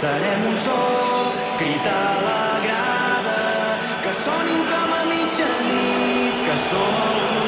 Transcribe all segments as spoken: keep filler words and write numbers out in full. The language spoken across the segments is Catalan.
serem un sol, crit a la grada, que sonin com a mitjanit, que som el club.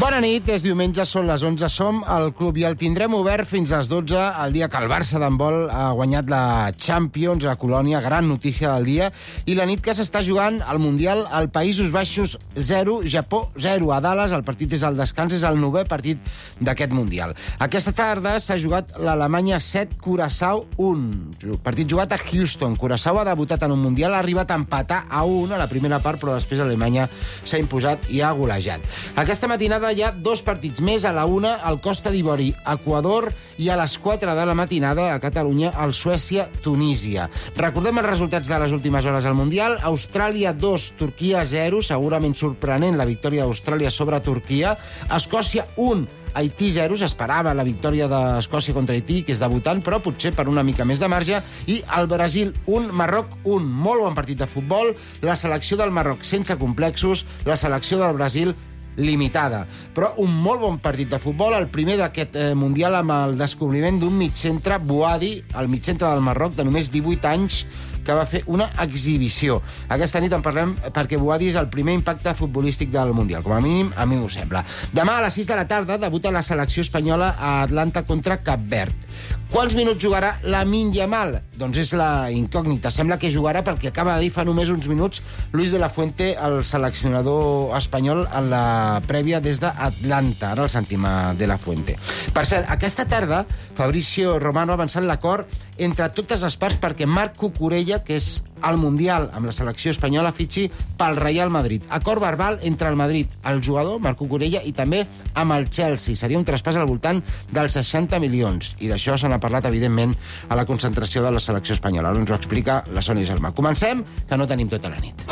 Bona nit, és diumenge, són les onze, som al club i el tindrem obert fins a les dotze, el dia que el Barça d'handbol ha guanyat la Champions a Colònia, gran notícia del dia, i la nit que s'està jugant al Mundial als Països Baixos zero, Japó zero. A Dallas el partit és al descans, és el novè partit d'aquest Mundial. Aquesta tarda s'ha jugat l'Alemanya set, Curaçao un. Partit jugat a Houston. Curaçao ha debutat en un Mundial, ha arribat a empatar a un a la primera part, però després Alemanya s'ha imposat i ha golejat. Aquesta matinada hi ha dos partits més, a la una al Costa d'Ivori, Equador, i a les quatre de la matinada a Catalunya el Suècia-Tunísia. Recordem els resultats de les últimes hores al Mundial. Austràlia dos, Turquia zero, segurament sorprenent la victòria d'Austràlia sobre Turquia. Escòcia un, Haití zero, s'esperava la victòria d'Escòcia contra Haití, que és debutant, però potser per una mica més de marge, i el Brasil un, Marroc un. Molt bon partit de futbol, la selecció del Marroc sense complexos, la selecció del Brasil limitada, però un molt bon partit de futbol, el primer d'aquest eh, Mundial amb el descobriment d'un mitcentre, Bouadi, el mitcentre del Marroc, de només divuit anys, que va fer una exhibició. Aquesta nit en parlem perquè Bouadi és el primer impacte futbolístic del Mundial, com a mínim a mi m'ho sembla. Demà a les sis de la tarda debuta la selecció espanyola a Atlanta contra Cap Verd. Quants minuts jugarà Lamine Yamal? Doncs és la incògnita. Sembla que jugarà perquè acaba de dir fa només uns minuts Luis de la Fuente, el seleccionador espanyol, en la prèvia des d'Atlanta. Ara el sentim a de la Fuente. Per cert, aquesta tarda Fabrizio Romano ha avançat l'acord entre totes les parts perquè Marc Cucurella, que és al Mundial amb la selecció espanyola, fitxi pel Real Madrid. Acord verbal entre el Madrid, el jugador, Marc Cucurella, i també amb el Chelsea. Seria un traspàs al voltant dels seixanta milions. I d'això se n'ha parlat, evidentment, a la concentració de la selecció espanyola. Ara ens ho explica la Sònia Gelmà. Comencem, que no tenim tota la nit.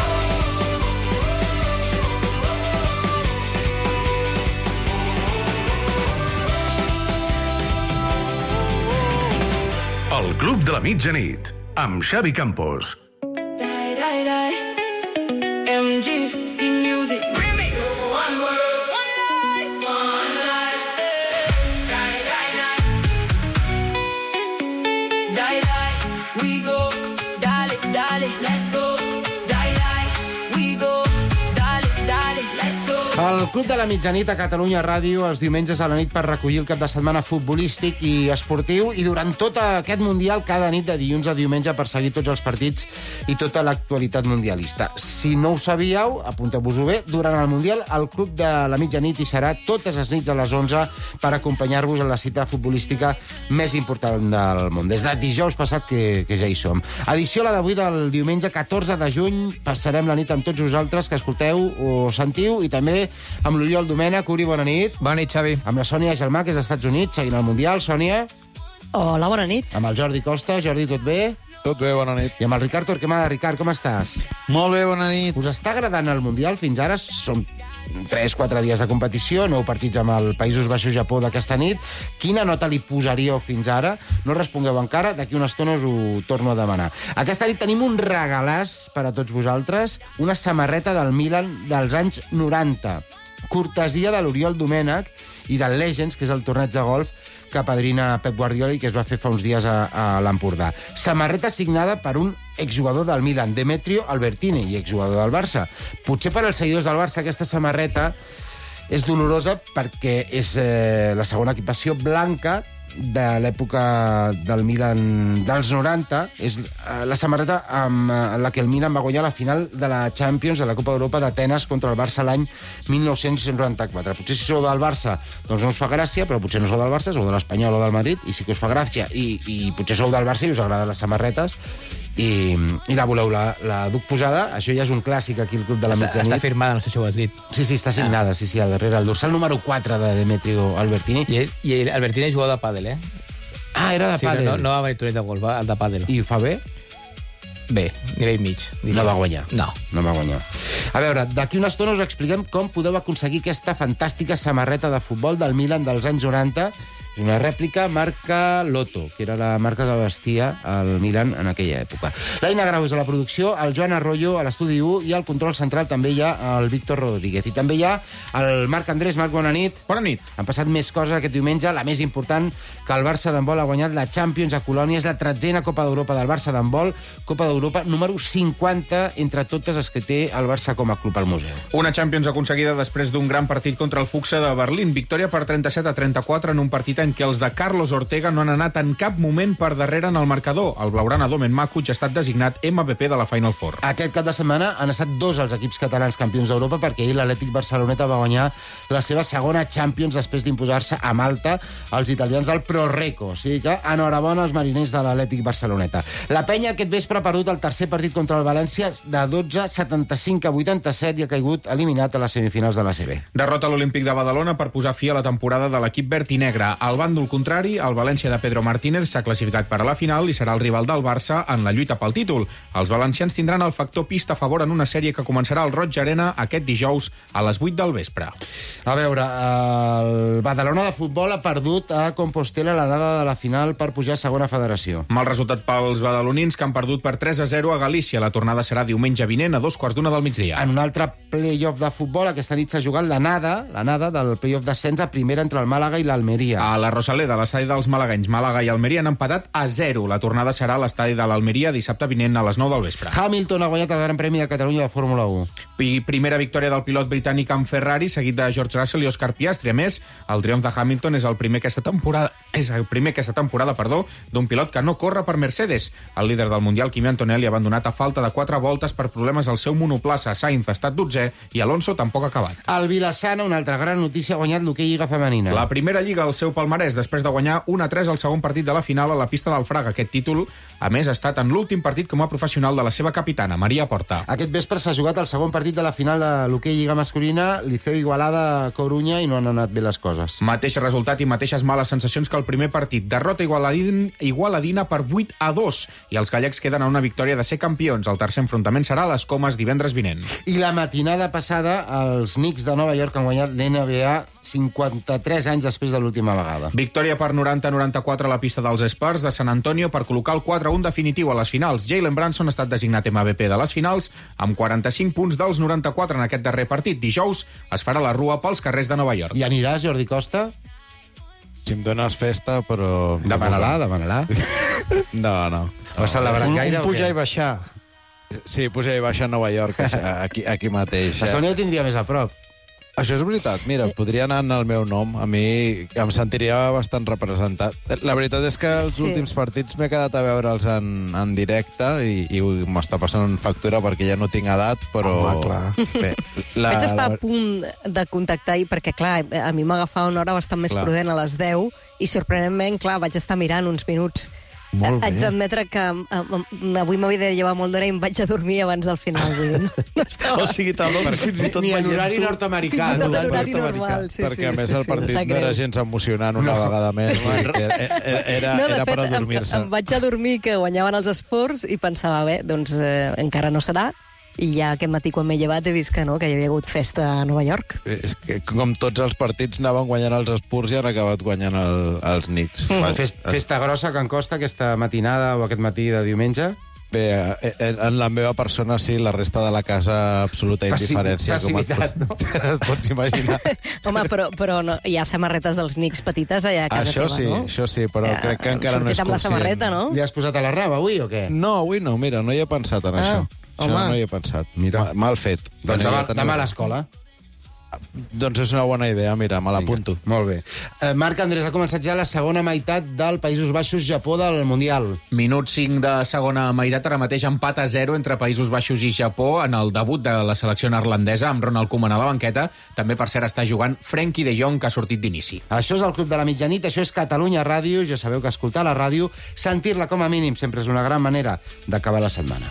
El Club de la Mitjanit, amb Xavi Campos. M G C Music Remix. One world, one life, one life. Die, die, die. Die, die. We go. Dale, dale. Let's go. Die, die. We go. Dale, dale. Let's go. El Club de la Mitjanit a Catalunya Ràdio els diumenges a la nit per recollir el cap de setmana futbolístic i esportiu, i durant tot aquest Mundial, cada nit de dilluns a diumenge, per seguir tots els partits i tota l'actualitat mundialista. Si no ho sabíeu, apunteu-vos-ho bé, durant el Mundial el Club de la Mitjanit hi serà totes les nits a les onze per acompanyar-vos en la cita futbolística més important del món. Des de dijous passat que, que ja hi som. Edició la d'avui del diumenge catorze de juny. Passarem la nit amb tots vosaltres que escolteu o sentiu, i també amb l'Oriol Domènech. Uri, bona nit. Bona nit, Xavi. Amb la Sònia Gelmà, que és als Estats Units, seguint el Mundial. Sònia. Hola, bona nit. Amb el Jordi Costa. Jordi, tot bé? Tot bé, bona nit. I amb el Ricard Torquemada. Ricard, com estàs? Molt bé, bona nit. Us està agradant el Mundial fins ara? Són tres quatre dies de competició, nou partits amb el Països Baixos-Japó d'aquesta nit. Quina nota li posaríeu fins ara? No respongueu encara, d'aquí una estona us ho torno a demanar. Aquesta nit tenim un regalàs per a tots vosaltres, una samarreta del Milan dels anys noranta, cortesia de l'Oriol Domènech i del Legends, que és el torneig de golf que apadrina Pep Guardiola i que es va fer fa uns dies a, a l'Empordà. Samarreta signada per un exjugador del Milan, Demetrio Albertini, i exjugador del Barça. Potser per als seguidors del Barça aquesta samarreta és dolorosa perquè és eh, la segona equipació blanca de l'època del Milan dels noranta. És la samarreta amb la que el Milan va guanyar la final de la Champions, de la Copa d'Europa d'Atenes contra el Barça l'any mil nou-cents noranta-quatre. Potser si sou del Barça doncs no us fa gràcia, però potser no sou del Barça, sou de l'Espanyol o del Madrid, i sí que us fa gràcia, i, i potser sou del Barça i us agraden les samarretes i, i la voleu, la, la duc posada. Això ja és un clàssic aquí al Club de la Està, Mitjanit. està firmada, no sé si ho has dit. Sí, sí, està signada, sí, sí, al darrere. El dorsal número quatre de Demetrio Albertini. I, ell, i ell, Albertini és jugador de pàdel, eh? Ah, era de Sí, pàdel. no, no va venir torneig de golf, va el de pàdel. I ho fa bé? Bé, nivell mig. diria. No va guanyar. No. No va guanyar. A veure, d'aquí una estona us expliquem com podeu aconseguir aquesta fantàstica samarreta de futbol del Milan dels anys noranta. una rèplica marca Lotto, que era la marca que vestia el Milan en aquella època. L'Aina Grau és a la producció, el Joan Arroyo a l'estudi u i al control central també hi ha el Víctor Rodríguez. I també hi ha el Marc Andrés. Marc, bona nit. Bona nit. Han passat més coses aquest diumenge. La més important, que el Barça d'handbol ha guanyat la Champions a Colònia. És la tretzena Copa d'Europa del Barça d'handbol. Copa d'Europa número cinquanta entre totes les que té el Barça com a club al museu. Una Champions aconseguida després d'un gran partit contra el Fuxa de Berlín. Victòria per trenta-set a trenta-quatre en un partit en què els de Carlos Ortega no han anat en cap moment per darrere en el marcador. El blaugrana Domen Makuc ha estat designat M V P de la Final Four. Aquest cap de setmana han estat dos els equips catalans campions d'Europa, perquè ahir l'Atlètic Barceloneta va guanyar la seva segona Champions després d'imposar-se a Malta als italians del Proreco. O sigui que enhorabona als mariners de l'Atlètic Barceloneta. La penya aquest vespre ha perdut el tercer partit contra el València de dotze setanta-cinc a vuitanta-set i ha caigut eliminat a les semifinals de la C B. Derrota a l'Olímpic de Badalona per posar fi a la temporada de l'equip verd i negre. Al bàndol contrari, el València de Pedro Martínez s'ha classificat per a la final i serà el rival del Barça en la lluita pel títol. Els valencians tindran el factor pista a favor en una sèrie que començarà al Roig Arena aquest dijous a les vuit del vespre. A veure, el Badalona de futbol ha perdut a Compostela l'anada de la final per pujar a segona federació. Mal resultat pels badalonins, que han perdut per tres a zero a Galícia. La tornada serà diumenge vinent a dos quarts d'una del migdia. En un altre play-off de futbol, aquesta nit s'ha jugat l'anada, l'anada del play-off d'ascens a primera entre el Màlaga i l'Almeria. A la Rosaleda, a l'estadi dels malaguenys, Màlaga i Almeria han empatat a zero. La tornada serà a l'estadi de l'Almeria dissabte vinent a les nou del vespre. Hamilton ha guanyat el Gran Premi de Catalunya de Fórmula u. I primera victòria del pilot britànic amb Ferrari, seguit de George Russell i Oscar Piastri. A més, el triomf de Hamilton és el primer aquesta temporada, és el primer aquesta temporada, perdó, d'un pilot que no corre per Mercedes. El líder del Mundial, Kimi Antonelli, ha abandonat a falta de quatre voltes per problemes al seu monoplaça. Sainz ha estat dotzè i Alonso tampoc ha acabat. El Vilassana, una altra gran notícia, ha guanyat l'hoquei Lliga Femenina. La primera lliga al seu palmarès, després de guanyar un a tres al segon partit de la final a la pista del Fraga. Aquest títol, a més, ha estat en l'últim partit com a professional de la seva capitana, Maria Porta. Aquest vespre s'ha jugat el segon partit de la final de l'hoquei Lliga masculina, Liceu Igualada Corunya, i no han anat bé les coses. Mateix resultat i mateixes males sensacions que el primer partit. Derrota igualadin, igualadina per vuit a dos i els gallecs queden a una victòria de ser campions. El tercer enfrontament serà a les Comes divendres vinent. I la matinada passada, els Knicks de Nova York han guanyat l'N B A cinquanta-tres anys després de l'última vegada. Victòria per noranta a noranta-quatre a la pista dels Spurs de San Antonio per col·locar el quatre a un definitiu a les finals. Jalen Brunson ha estat designat M V P de les finals amb quaranta-cinc punts dels noranta-quatre en aquest darrer partit. Dijous es farà la rua pels carrers de Nova York. I aniràs, Jordi Costa? Si em dones festa, però... Demana-la, demana-la. No, no. Ho has celebrat un, gaire un o pujar què? i baixar. Sí, pujar i baixar a Nova York, aquí, aquí mateix. La Sònia ho tindria més a prop. Això és veritat. Mira, podria anar en el meu nom. A mi em sentiria bastant representat. La veritat és que els Sí. últims partits m'he quedat a veure'ls en, en directe i, i m'està passant factura perquè ja no tinc edat, però... Home, clar. Bé, la, Vaig estar la- a punt de contactar ahir perquè, clar, a mi m'agafava una hora bastant més Clar. prudent a les deu i, sorprenentment, clar, vaig estar mirant uns minuts. Molt bé. Haig d'admetre que um, avui m'havia de llevar molt d'hora i em vaig a dormir abans del final. Vull dir, no, no estava... O sigui, talons fins i tot Ni en veient horari tu. nord-americà. Fins i tot tu. en horari nord-americà. normal. Sí, perquè, sí, a més, sí, el sí, partit em sap no era greu. gens emocionant una vegada més. Era, era, era, No, de era per fet, em, adormir-se. em vaig a dormir que guanyaven els esports i pensava, bé, doncs eh, encara no serà. I ja aquest matí, quan m'he llevat, he vist que no, que hi havia hagut festa a Nova York. És que, com tots els partits, anaven guanyant els Spurs i han acabat guanyant el, els Knicks. Bueno, fest, festa grossa que en costa aquesta matinada o aquest matí de diumenge. Bé, eh, en la meva persona, sí, la resta de la casa, absoluta Passi- indiferència. passivitat, com et, no? et pots imaginar. Home, però, però no, hi ha samarretes dels Knicks petites allà a casa Això teva, sí, no? això sí, però Ja, crec que hem encara no és sortit amb la conscient. samarreta, no? Li has posat a la rava avui o què? No, avui no, mira, no hi he pensat en Ah, això. Això home. no hi he pensat. Mira. Ma- Mal fet. Doncs Ja demà, teniu- demà a l'escola. Doncs és una bona idea, mira, me l'apunto. Molt bé. Eh, Marc Andrés, ha començat ja la segona meitat del Països Baixos-Japó del Mundial. Minut cinc de segona meitat, ara mateix empat a zero entre Països Baixos i Japó en el debut de la selecció neerlandesa amb Ronald Koeman a la banqueta. També, per cert, està jugant Frenkie de Jong, que ha sortit d'inici. Això és el Club de la Mitjanit, això és Catalunya Ràdio. Ja sabeu que escoltar la ràdio, sentir-la com a mínim, sempre és una gran manera d'acabar la setmana.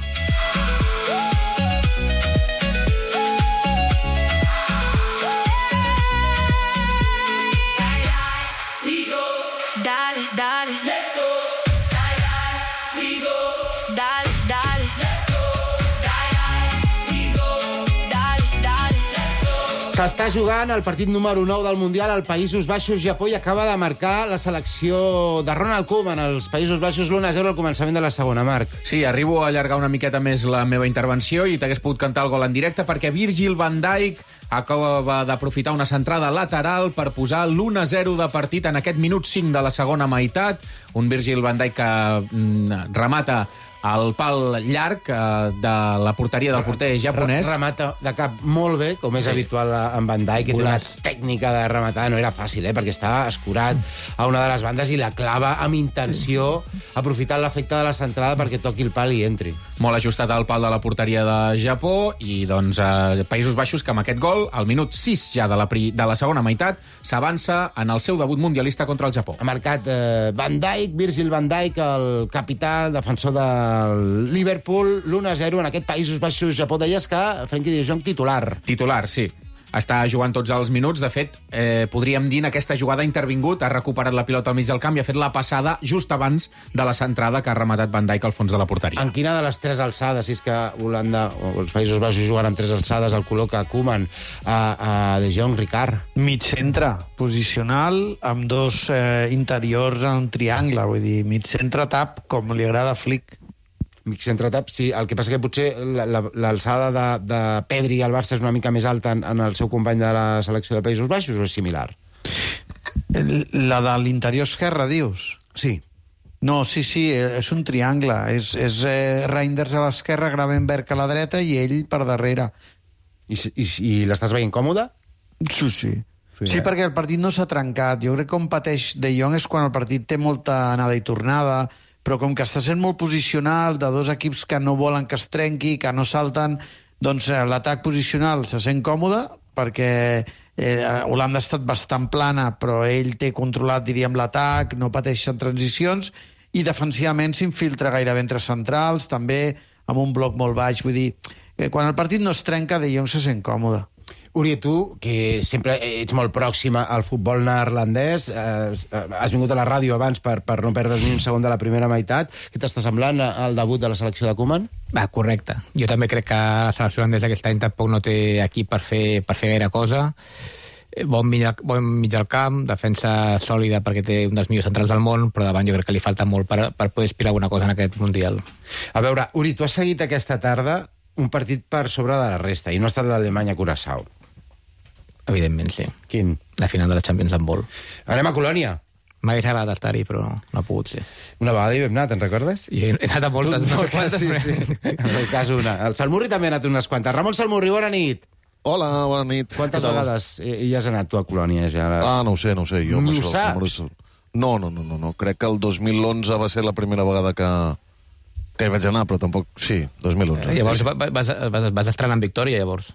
Dale, dale. Let's go. Dale, dale. We go. Dale, dale. Let's go. Dale, dale. We go. Dale, dale. Let's go. S'està jugant el partit número nou del Mundial al Països Baixos, Japó, i acaba de marcar la selecció de Ronald Koeman als Països Baixos l'u a zero al començament de la segona, Marc. Sí, arribo a allargar una miqueta més la meva intervenció i t'hagués pogut cantar el gol en directe perquè Virgil van Dijk acaba d'aprofitar una centrada lateral per posar l'u a zero de partit en aquest minut cinc de la segona meitat. Un Virgil van Dijk que mm, remata el pal llarg eh, de la porteria del porter japonès. Remata de cap molt bé, com és sí. habitual en Van Dijk, que té una tècnica de rematar, no era fàcil, eh, perquè estava escurat a una de les bandes i la clava amb intenció, aprofitant l'efecte de la centrada perquè toqui el pal i entri. Molt ajustat al pal de la porteria de Japó i, doncs, eh, Països Baixos, que amb aquest gol, al minut sis ja de la, pri de la segona meitat, s'avança en el seu debut mundialista contra el Japó. Ha marcat eh, Van Dijk, Virgil van Dijk, el capità, defensor de el Liverpool, l'u a zero en aquest Països Baixos, Japó. Deies que Frenkie de Jong titular. Titular, sí. Està jugant tots els minuts. De fet, eh, podríem dir en aquesta jugada ha intervingut, ha recuperat la pilota al mig del camp i ha fet la passada just abans de la centrada que ha rematat Van Dijk al fons de la porteria. En quina de les tres alçades, si és que Holanda o els Països Baixos juguen amb tres alçades, el col·loca Koeman a, a De Jong, Ricard? Mig centre, posicional, amb dos eh, interiors en triangle, vull dir, mig centre tap, com li agrada a Flick. Mig centre tap, sí. El que passa que potser l'alçada de, de Pedri al Barça és una mica més alta en, en el seu company de la selecció de Països Baixos, o és similar? La de l'interior esquerre, dius? Sí. No, sí, sí, és un triangle. És, és eh, Reinders a l'esquerra, Gravenberch a la dreta i ell per darrere. I, i, i l'estàs veient còmode? Sí, sí. Sí, sí, eh? perquè el partit no s'ha trencat. Jo crec que on pateix De Jong és quan el partit té molta anada i tornada, però com que està sent molt posicional, de dos equips que no volen que es trenqui, que no salten, doncs l'atac posicional se sent còmode, perquè eh, Holanda ha estat bastant plana, però ell té controlat, diríem, l'atac, no pateix en transicions, i defensivament s'infiltra gairebé entre centrals, també amb un bloc molt baix. Vull dir, eh, quan el partit no es trenca, De Jong se sent còmode. Uri, tu, que sempre ets molt pròxima al futbol neerlandès, eh, has vingut a la ràdio abans per, per no perdre's ni un segon de la primera meitat. Què t'està semblant el debut de la selecció de Koeman? Va, correcte. Jo també crec que la selecció holandesa aquest any tampoc no té equip per fer, per fer gaire cosa. Bon mig, bon mig del camp, defensa sòlida perquè té un dels millors centrals del món, però davant jo crec que li falta molt per, per poder aspirar alguna cosa en aquest Mundial. A veure, Uri, tu has seguit aquesta tarda un partit per sobre de la resta, i no ha estat l'Alemanya-Curaçao. Evidentment, sí. Quin? La final de la Champions d'handbol. Anem a Colònia. M'hagués agradat estar-hi, però no ha pogut ser. Una vegada hi vam anar, te'n recordes? Jo he anat a moltes, no sé quantes. Sí, sí. En el cas una. El Salmurri també ha anat unes quantes. Ramon Salmurri, bona nit. Hola, bona nit. Quantes vegades hi has anat tu a Colònia? Ja? Ah, no ho sé, no ho sé. Jo, no ho saps? Salmurri... No, no, no, no, no. Crec que el dos mil onze va ser la primera vegada que, que hi vaig anar, però tampoc... Sí, dos mil onze. Eh, llavors vas, vas, vas estrenar en victòria, llavors?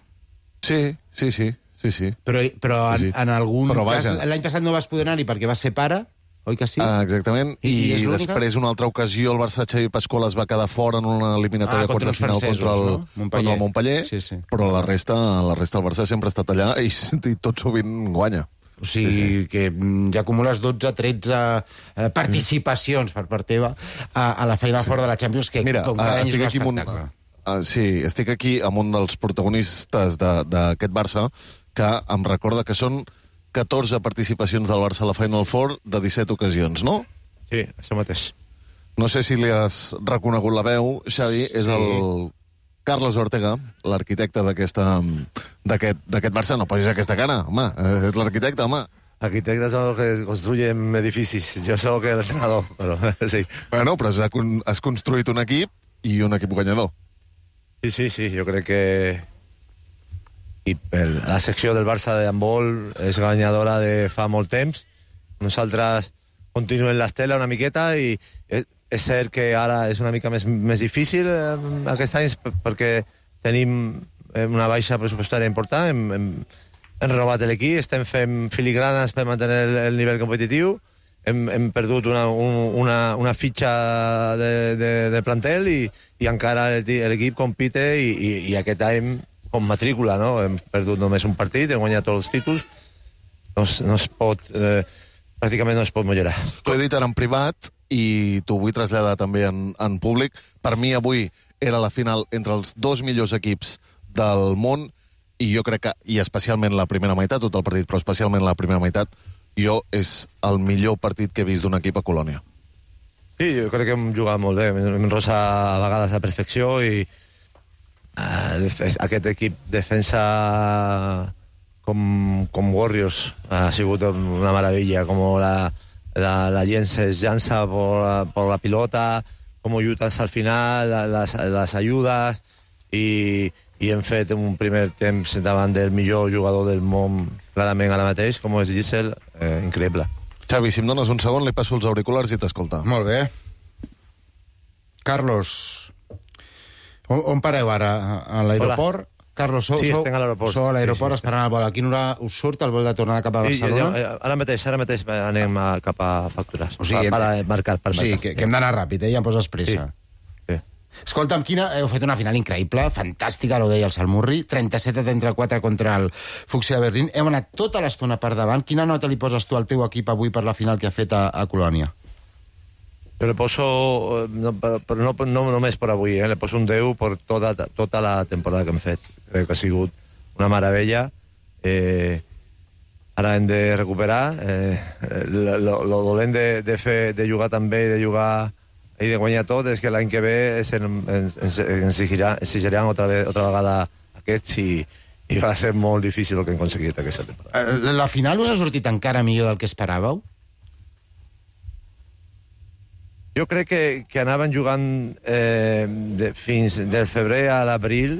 Sí, sí, sí. Sí, sí. Però, però en, sí, sí. en algun però cas... L'any passat no vas poder anar-hi perquè vas ser pare, oi que sí? Ah, exactament. I, I, i després, una altra ocasió, el Barça Xavi Pasqual es va quedar fora en una eliminatòria ah, quarts de final contra el, no? Montpellier. Contra el Montpellier, sí, sí. Però la resta, la resta del Barça sempre ha estat allà i, i tot sovint guanya. O sigui, sí, sí. que ja acumules dotze tretze eh, participacions per part teva a, a la feina sí. fora de la Champions, que Mira, com cada any és un espectacle. Uh, sí, estic aquí amb un dels protagonistes d'aquest Barça, que em recorda que són catorze participacions del Barça a la Final Four de disset ocasions, no? Sí, això mateix. No sé si li has reconegut la veu, Xavi, és sí. el Carlos Ortega, l'arquitecte d'aquest Barça. No posis aquesta cara, home, és l'arquitecte, home. Arquitectes son los que construyen edificios. Yo soy el entrenador, pero sí. Bueno, però has, has construït un equip i un equip guanyador. Sí, sí, sí, jo crec que i el, la secció del Barça de handbol és guanyadora de fa molt temps. Nosaltres continuem l'estela una miqueta i és, és cert que ara és una mica més, més difícil eh, aquest any perquè tenim una baixa pressupostària important, hem, hem, hem renovat l'equip, estem fent filigranes per mantenir el, el nivell competitiu, hem, hem perdut una, un, una, una fitxa de, de, de plantel i, i encara l'equip compite i, i, i aquest any com matrícula, no? Hem perdut només un partit, hem guanyat tots els títols, no, no es pot, eh, pràcticament no es pot millorar. T'ho he dit ara en privat i t'ho vull traslladar també en, en públic. Per mi avui era la final entre els dos millors equips del món i jo crec que, i especialment la primera meitat, tot el partit, però especialment la primera meitat, jo és el millor partit que he vist d'un equip a Colònia. Sí, jo crec que hem jugat molt bé, hem rosa a vegades a perfecció i uh, aquest equip defensa com, com Warriors ha sigut una meravella, com la, la, la gent se llança por la, por la pilota, com lluita hasta el final, les, les ajudes, i, i hem fet un primer temps davant del millor jugador del món, clarament ara mateix, com és Gisel, eh, increïble. Xavi, si em dones un segon, li passo els auriculars i t'escolta. Molt bé. Carlos, on, on pareu ara? A l'aeroport? Carlos, sou, sí, sou, estem a l'aeroport. Sou a l'aeroport sí, sí, esperant el vol. A quina hora us surt el vol de tornada cap a Barcelona? I, ara mateix, ara mateix anem a, cap a factures. O sigui, per, per marcar, per o sigui, marcar. que, que hem d'anar ràpid, eh? Ja em poses pressa. Sí. Sí. Escolta'm, quina... heu fet una final increïble, fantàstica, ho deia el Salmurri, trenta-set a trenta-quatre contra el Fucsia de Berlín. Hem anat tota l'estona per davant. Quina nota li poses tu al teu equip avui per la final que ha fet a, a Colònia? Jo le poso, no, però no, no només per avui, eh? Le poso un deu per tota, tota la temporada que hem fet. Crec que ha sigut una meravella. Eh, ara hem de recuperar. Eh, lo, lo dolent de, de, fer, de jugar també i de jugar i de guanyar tot és que l'any que ve ens, ens, ens exigiran, exigiran otra, ve, otra vegada aquests i, i va ser molt difícil el que hem aconseguit aquesta temporada. La final us ha sortit encara millor del que esperàveu? Jo crec que, que anaven jugant eh, de, fins del febrer a l'abril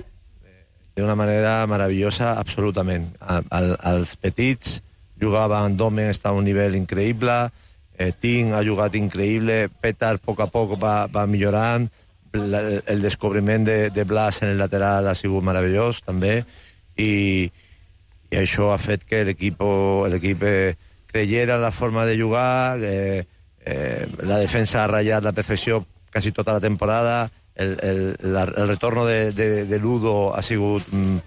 d'una manera meravellosa, absolutament. Al, al, els petits jugaven, Domen està a un nivell increïble, eh, Ting ha jugat increïble, Petar a poc a poc va, va millorant, el, el descobriment de, de Blas en el lateral ha sigut meravellós també, i, i això ha fet que l'equip eh, creyera en la forma de jugar, eh, eh, la defensa ha ratllat la perfecció quasi tota la temporada, el, el, la, el retorno de, de, de Ludo ha sigut mm,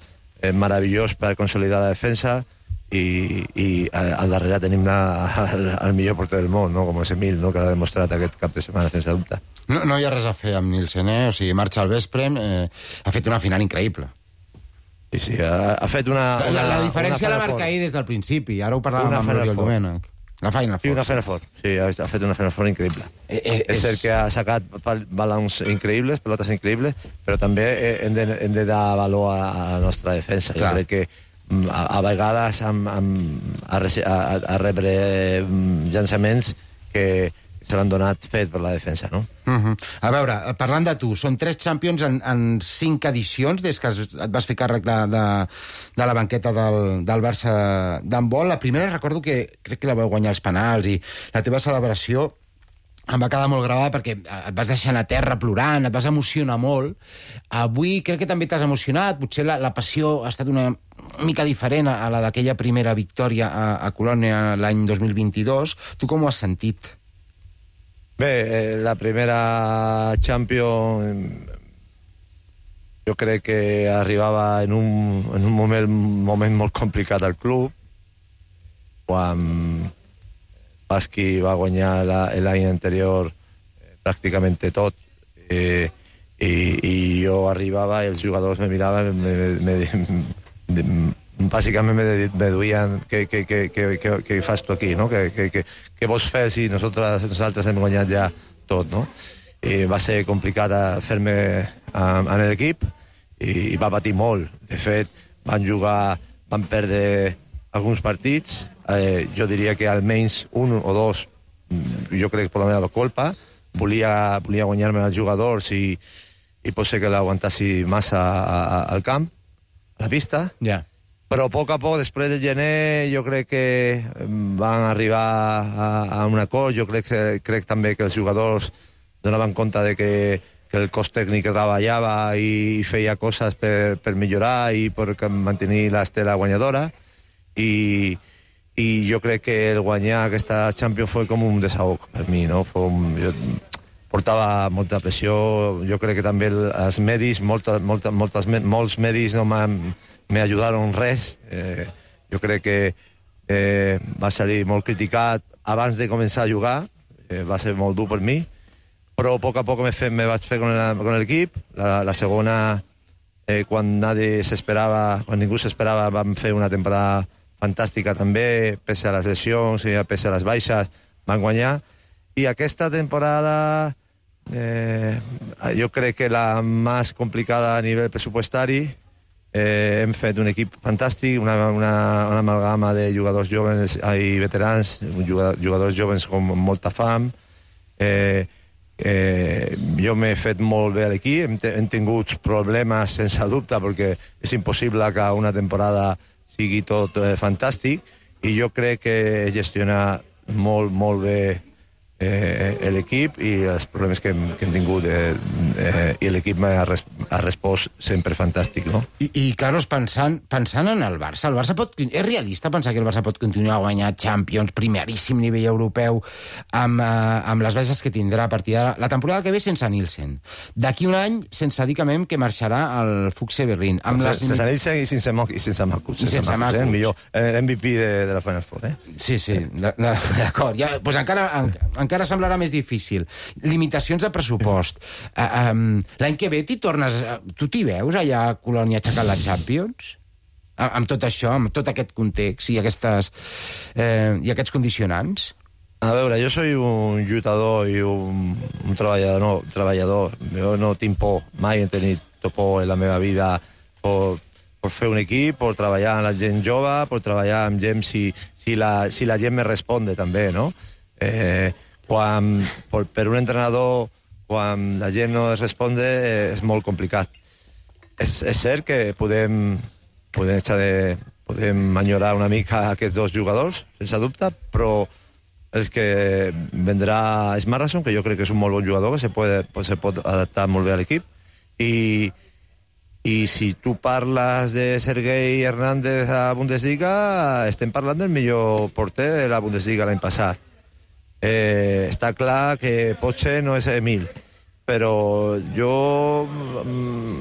eh, meravellós per consolidar la defensa, i, i al darrere tenim la, el, el millor porter del món, no? Com és Emil, no? Que l'ha demostrat aquest cap de setmana sense dubte. No, no hi ha res a fer amb Nielsen, eh? O sigui, marxa al vespre, eh, ha fet una final increïble. Sí, sí, ha, ha fet una... La, la, la diferència la marca ahir des del principi, ara ho parlàvem amb l'Oriol Domènech. La Final Four. Sí, una Final Four. Sí, ha, ha fet una Final Four increïble. Eh, eh, és cert que ha sacat balons increïbles, pelotes increïbles, però també hem de, hem de dar valor a, a la nostra defensa. Clar. Jo crec que a, a vegades amb, amb, a, a, a rebre llançaments que se l'han donat fet per la defensa, no? Uh -huh. A veure, parlant de tu, són tres Champions en, en cinc edicions des que et vas fer càrrec de, de, de la banqueta del, del Barça d'handbol. La primera recordo que crec que la vau guanyar els penals i la teva celebració em va quedar molt gravada perquè et vas deixar a terra plorant, et vas emocionar molt. Avui crec que també t'has emocionat, potser la, la passió ha estat una mica diferent a la d'aquella primera victòria a, a Colònia l'any dos mil vint-i-dos. Tu com ho has sentit? Bé, la primera Champions jo crec que arribava en un, en un moment, moment molt complicat al club, quan Basqui va guanyar l'any anterior pràcticament tot, eh, i, i jo arribava i els jugadors me miraven, me, me, me, bàsicament me, me duien què, què, què, què, què, què fas tu aquí, no? Què, què, què, què vols fer si nosaltres, nosaltres hem guanyat ja tot, no? I va ser complicat fer-me en l'equip i, i va patir molt. De fet, van jugar, van perdre alguns partits, eh, jo diria que almenys un o dos, jo crec per la meva culpa, volia, volia guanyar-me els jugadors i, i pot ser que l'aguantassi massa a, a, al camp, a la pista. Ja. Yeah. Però a poc a poc, després del gener, jo crec que van arribar a, a un acord. Jo crec, que, crec també que els jugadors donaven compte de que, que el cos tècnic treballava i feia coses per, per millorar i per mantenir l'estela guanyadora. I, i jo crec que el guanyar aquesta Champions fue com un desahog per mi, no? Fue un, jo portava molta pressió. Jo crec que també els medis, molta, molta, moltes, molts medis no m'han me ajudaron res. Eh, jo crec que eh, va salir molt criticat abans de començar a jugar, eh, va ser molt dur per mi, però a poc a poc me, fe, me vaig fer con l'equip. La, la segona eh, quan nadie s'esperava, quan ningú s'esperava, vam fer una temporada fantàstica també, pese a les lesions i pese a les baixes, van guanyar. I aquesta temporada eh, jo crec que la més complicada a nivell pressupostari. Eh, hem fet un equip fantàstic, una, una, una amalgama de jugadors joves i veterans, jugadors joves amb molta fam. Eh, eh, jo m'he fet molt bé a l'equip, hem, hem tingut problemes sense dubte, perquè és impossible que una temporada sigui tot eh, fantàstic, i jo crec que gestiona molt, molt bé eh, l'equip i els problemes que hem, que hem tingut eh, eh, i l'equip ha, res, ha respost sempre fantàstic, no? I, i Carlos, pensant, pensant en el Barça, el Barça pot, és realista pensar que el Barça pot continuar a guanyar Champions, primeríssim nivell europeu, amb, eh, amb les baixes que tindrà a partir de la temporada que ve sense Nielsen. D'aquí un any, sense dir que que marxarà al Fuchse Berlín. Amb les... Sense Nielsen i sense Makuch. Sense Makuch, sense sense Makuch, eh? Millor, l'M V P de, de la Final Four, eh? Sí, sí, d'acord. Ja, pues encara, en, encara semblarà més difícil. Limitacions de pressupost. Uh, um, L'any que ve t'hi tornes... Tu t'hi veus allà a Colònia aixecant la Champions? Amb, amb tot això, amb tot aquest context i, aquestes, eh, i aquests condicionants? A veure, jo soy un lluitador i un, un treballador, no, treballador. Jo no tinc por, mai he tenit por en la meva vida por, por fer un equip, por treballar amb la gent jove, por treballar amb gent si, si, la, si la gent me responde també, no? Eh, quan, per, per un entrenador, quan la gent no es responde, eh, és molt complicat. És, és cert que podem, podem, de, podem enyorar una mica aquests dos jugadors, sense dubte, però els que vendrà és Marrason, que jo crec que és un molt bon jugador, que se, puede, se pot adaptar molt bé a l'equip, i, i si tu parles de Sergei Hernández a Bundesliga, estem parlant del millor porter de la Bundesliga l'any passat. Eh, està clar que potser no és Emil, però jo mm,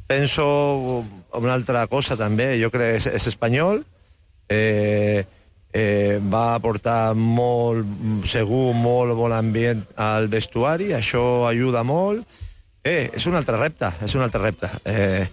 penso una altra cosa també. Jo crec que és, és espanyol, eh, eh, va aportar molt, segur, molt bon ambient al vestuari, això ajuda molt. Eh, és un altre repte, és un altre repte. Eh,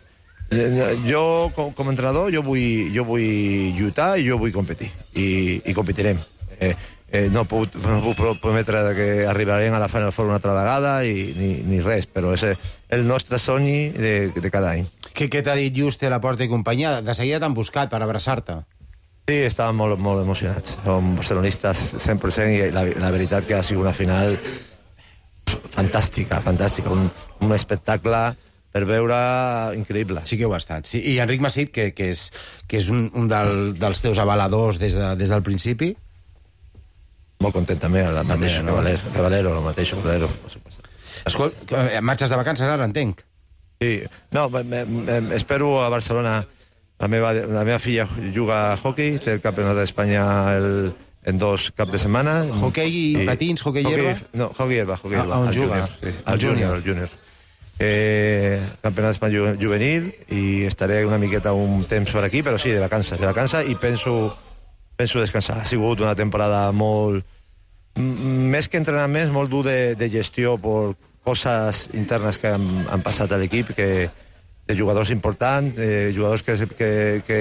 jo, com, com a entrenador, jo vull, jo vull lluitar i jo vull competir, i, i competirem. Eh, Eh, no, puc, no puc prometre que arribarem a la Final Four una altra vegada i, ni, ni res, però és el nostre somni de, de cada any. Què, què t'ha dit Juste, Laporta i companyia? De seguida t'han buscat per abraçar-te. Sí, estàvem molt, molt emocionats. Som barcelonistes cent per cent i la, la veritat que ha sigut una final fantàstica, fantàstica, un, un espectacle per veure increïble. Sí que ho ha estat. Sí. I Enric Masip, que, que és, que és un, un del, dels teus avaladors des, de, des del principi... Molt content també, el mateix que Valero, que Valero, el mateix que Valero. Escolta, marxes de vacances ara, entenc? Sí, no, me, me, espero a Barcelona. La meva, la meva filla juga a hockey, té el campionat d'Espanya el, en dos caps de setmana. Hockey i, i patins, hockey hierba? No, hockey hierba, hockey hierba. Ah, on juga? Junior, sí, el, el júnior. El júnior. Eh, campionat d'Espanya juvenil, i estaré una miqueta un temps per aquí, però sí, de vacances, de vacances, i penso... penso descansar. Ha sigut una temporada molt... més que entrenaments, molt dur de, de gestió per coses internes que han, han passat a l'equip, que de jugadors importants, eh, jugadors que, que, que,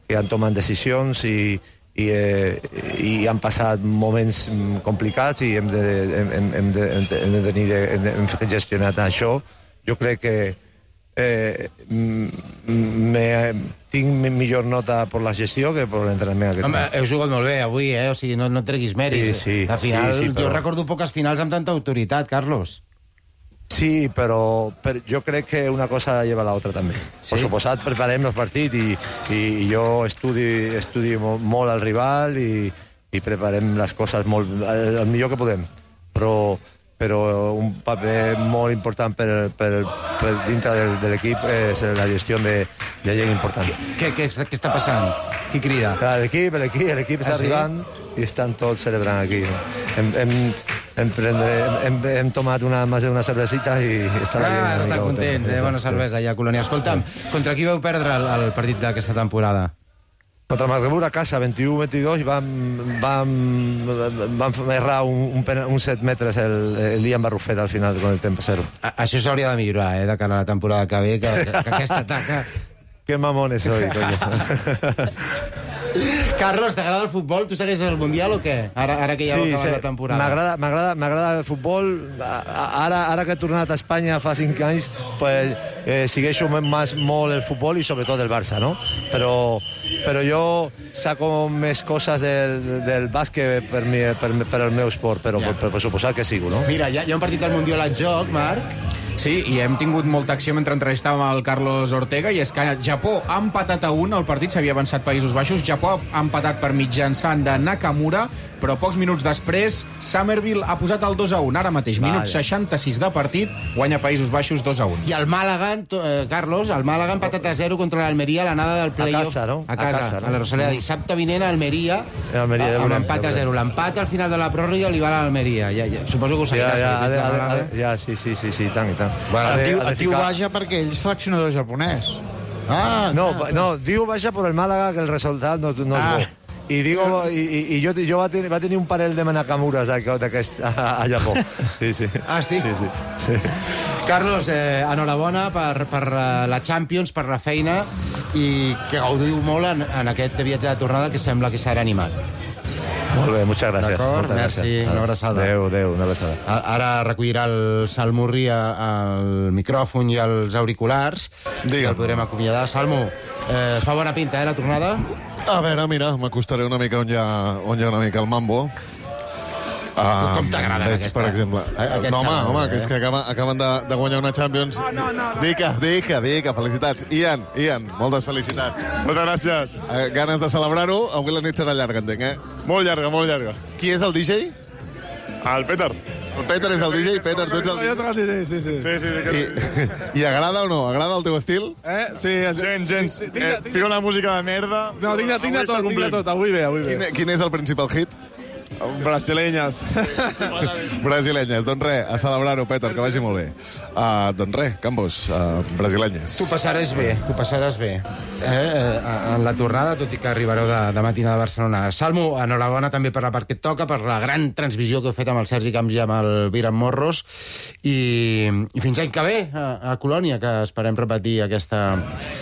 que han tomat decisions i, i, eh, i han passat moments complicats i hem de, hem, hem de, hem de, hem de tenir de, hem gestionat això. Jo crec que eh, me, tinc millor nota per la gestió que per l'entrenament. Home, heu jugat molt bé avui, eh? O sigui, no, no treguis mèrits. Sí, sí, Al final, sí, sí, però... jo recordo poques finals amb tanta autoritat, Carlos. Sí, però per, jo crec que una cosa lleva a l'altra també. Sí? Per suposat, preparem els partits i, i jo estudi, estudi molt al rival i, i preparem les coses molt, el, el millor que podem. Però però un paper molt important per, per, per dintre de, de l'equip és la gestió de, de gent important. Què, què, què està passant? Qui crida? L'equip, l'equip, l'equip està ah, sí? arribant i estan tots celebrant aquí. Hem, hem, hem, prendre, hem, hem tomat una, més d'una cervecita i estan ah, ara estan contents, eh? Bona cervesa allà a Colònia. Escolta'm, contra qui vau perdre el, el partit d'aquesta temporada? Contra Magdeburg a casa, vint-i-u vint-i-dos, i vam, vam, vam errar un, un, pen- un set metres el, el Ian Barrufet al final con el tempo cero. A, això s'hauria de millorar, eh, de cara a la temporada que ve, que, que, que aquesta taca... Qué mamones soy, coño. Carlos, t'agrada el futbol? Tu segueixes el Mundial o què? Ara, ara que ja Sí, ha acabat sí, la temporada. m'agrada m'agrada m'agrada el futbol. Ara, ara que he tornat a Espanya fa cinc anys, pues, eh, segueixo més molt el futbol i sobretot el Barça, no? Però, però jo saco més coses del, del bàsquet per, mi, per, per el meu esport, però Ja. per, per, per suposar que sigo, no? Mira, hi ha, hi ha un partit del Mundial al joc, Marc. Sí, i hem tingut molta acció mentre entrevistàvem el Carlos Ortega, i és que Japó ha empatat a un, el partit s'havia avançat Països Baixos, Japó ha empatat per mitjançant de Nakamura, però pocs minuts després Summerville ha posat el dos a un, ara mateix, minut Vaya. seixanta-sis de partit, guanya Països Baixos dos a un. I el Màlaga, eh, Carlos, el Màlaga ha empatat a zero contra l'Almeria a l'anada del play-off. casa, no? A A casa, casa, no? a la Rosaleda. Dissabte vinent a Almeria, Almeria de amb Bulem, empat de a Bulem. zero. L'empat al final de la pròrroga li va a l'Almeria. Ja, ja, suposo que ho Ja, seguiràs. ja, que ets de ja, Màlaga. ja, ja, sí, sí, sí, sí, i tant, i tant. Bueno, Ha de- El tio, ha de el tio ficar- vaja perquè ell és seleccionador japonès. Ah, No, clar, no, digo vaya por el Málaga que el resultat no, no Ah. és bo. I, digo, i, i, i jo, jo va, tenir, va tenir un parell de Nakamures d'aquest a, a Japó. Sí, sí. Ah, sí? Sí, sí. Carlos, eh, enhorabona per, per eh, la Champions, per la feina, i que gaudiu molt en, en aquest viatge de tornada que sembla que serà animat. Molt bé, moltes gràcies. D'acord, moltes merci, gràcies. una abraçada. Adéu, adéu, una abraçada. A- Ara recollirà el Salmurri al micròfon i els auriculars. Digue'm. El podrem acomiadar. Salmo, eh, fa bona pinta, eh, la tornada? A veure, mira, m'acostaré una mica on hi ha, on hi ha una mica el mambo. Uh, Com t'agraden veig, aquesta- per exemple. aquests No, home, xavals, home, eh? que és que acaben, acaben de, de guanyar una Champions. No, no, no. Dica, dica, dica, felicitats. Ian, Ian, moltes felicitats. Moltes gràcies. Eh, ganes de celebrar-ho? Avui la nit serà llarga, entenc, eh? Molt llarga, molt llarga. Qui és el D J? El Peter. El Peter és el D J? Peter, tu ets el D J? Sí, sí. Sí, sí. I, I agrada o no? Agrada el teu estil? Eh? Sí, gens, gens. Eh, fica una música de merda. No, tinc de, tinc de tot, tinc de tot. Avui bé, avui bé. Quin, quin és el principal hit? Brasilenyes. Brasilenyes. Doncs res, a celebrar-ho, Peter, que vagi molt bé. Uh, doncs res, Campos, uh, brasilenyes. Tu passaràs bé, tu passaràs bé. Eh, eh, en la tornada, tot i que arribareu de, de matina de Barcelona. Salmo, enhorabona també per la part que et toca, per la gran transmissió que heu fet amb el Sergi Camps i amb el Viran Morros, i, i fins l'any que ve, a, a Colònia, que esperem repetir aquesta,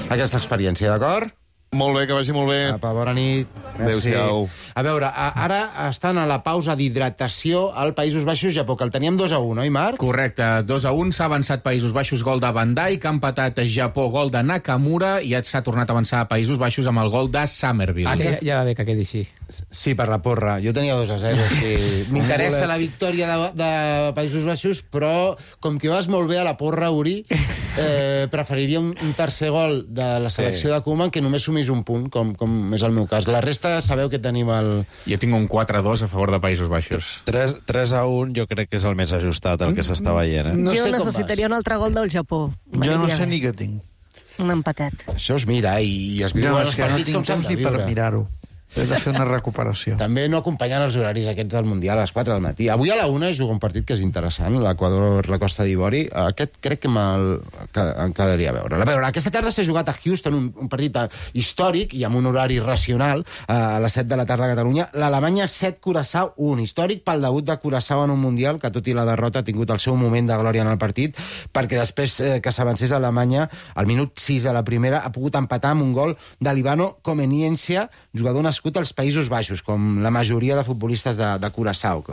aquesta experiència, d'acord? Molt bé, que vagi molt bé. Apa, bona nit. Merci. Adéu-siau. A veure, a, ara estan a la pausa d'hidratació al Països Baixos, Japó, que el teníem dos a un, oi, Marc? Correcte, dos a un, s'ha avançat Països Baixos, gol de Van Dijk, que ha empatat Japó, gol de Nakamura, i ja s'ha tornat a avançar a Països Baixos amb el gol de Summerville. Ah, ja, ja va bé que quedi així. Sí, per la porra. Jo tenia dos a zero. Sí. M'interessa la victòria de, de Països Baixos, però com que vas molt bé a la porra, Uri, eh, preferiria un, un tercer gol de la selecció sí. de Koeman que només sumís un punt, com, com és el meu cas. La resta sabeu que tenim el... Jo tinc un quatre a dos a favor de Països Baixos. tres a un jo crec que és el més ajustat, el que s'està veient. Eh? No jo necessitaria un altre gol del Japó. Jo no sé ni què tinc. Un empatet. Això es mira, i, i es viu No, els és que no partits tinc com s'han temps de ni per viure. mirar-ho. He de fer una recuperació. També no acompanyen els horaris aquests del Mundial a les quatre del matí. Avui a la una es juga un partit que és interessant, l'Equador, la Costa d'Ivori. Aquest crec que me'l que em quedaria a veure. A veure, aquesta tarda s'ha jugat a Houston un, un partit històric i amb un horari racional a les set de la tarda a Catalunya. L'Alemanya set, Curaçao un. Històric pel debut de Curaçao en un Mundial que, tot i la derrota, ha tingut el seu moment de glòria en el partit, perquè després eh, que s'avancés a Alemanya, al minut sis de la primera, ha pogut empatar amb un gol de Libano Comeniència, jugador nascut als Països Baixos, com la majoria de futbolistes de, de Curaçao.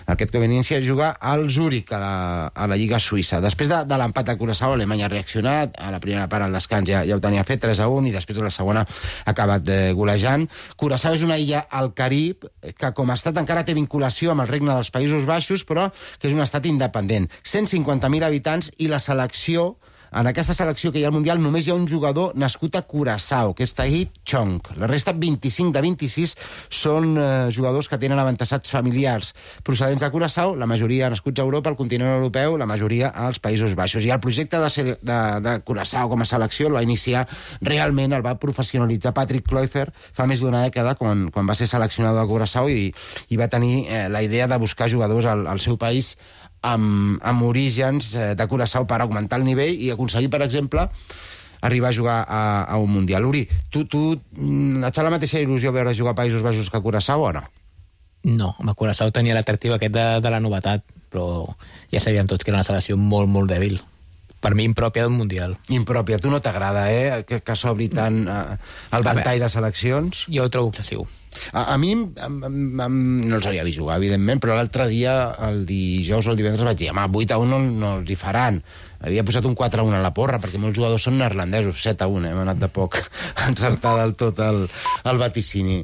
Aquest Comeniència juga al Zúrich, a la, a la Lliga Suïssa. Després de, de l'empat a Curaçao, Alemanya ha reaccionat, a la primera part al descans ja, ja ho tenia fet, tres a un, i després a la segona ha acabat eh, golejant. Curaçao és una illa al Carib que com a estat encara té vinculació amb el regne dels Països Baixos, però que és un estat independent. cent cinquanta mil habitants, i la selecció, en aquesta selecció que hi ha al Mundial, només hi ha un jugador nascut a Curaçao, que és Tahit Chong. La resta, vint-i-cinc de vint-i-sis, són eh, jugadors que tenen avantassats familiars procedents de Curaçao, la majoria nascuts a Europa, al continent europeu, la majoria als Països Baixos. I el projecte de, ser, de, de Curaçao com a selecció el va iniciar realment, el va professionalitzar Patrick Kluivert fa més d'una dècada, quan, quan va ser seleccionador de Curaçao, i, i va tenir eh, la idea de buscar jugadors al, al seu país amb, amb orígens eh, de Curaçao per augmentar el nivell i aconseguir, per exemple, arribar a jugar a, a un Mundial. Uri, tu, tu et fa la mateixa il·lusió veure jugar a Països Baixos que a Curaçao o no? No, amb Curaçao tenia l'atractiu aquest de, de la novetat, però ja sabíem tots que era una selecció molt, molt dèbil. Per mi, impròpia d'un Mundial. Impròpia. Tu no t'agrada, eh?, que, que s'obri tant eh, el ventall de seleccions? Jo ho trobo excessiu. A, a mi em, em, em, no els havia vist jugar, evidentment, però l'altre dia, el dijous o el divendres, vaig dir, home, vuit a un no, no els hi faran. Havia posat un quatre a un a la porra, perquè molts jugadors són neerlandesos, set a un, eh? Hem anat de poc encertar del tot el, el vaticini.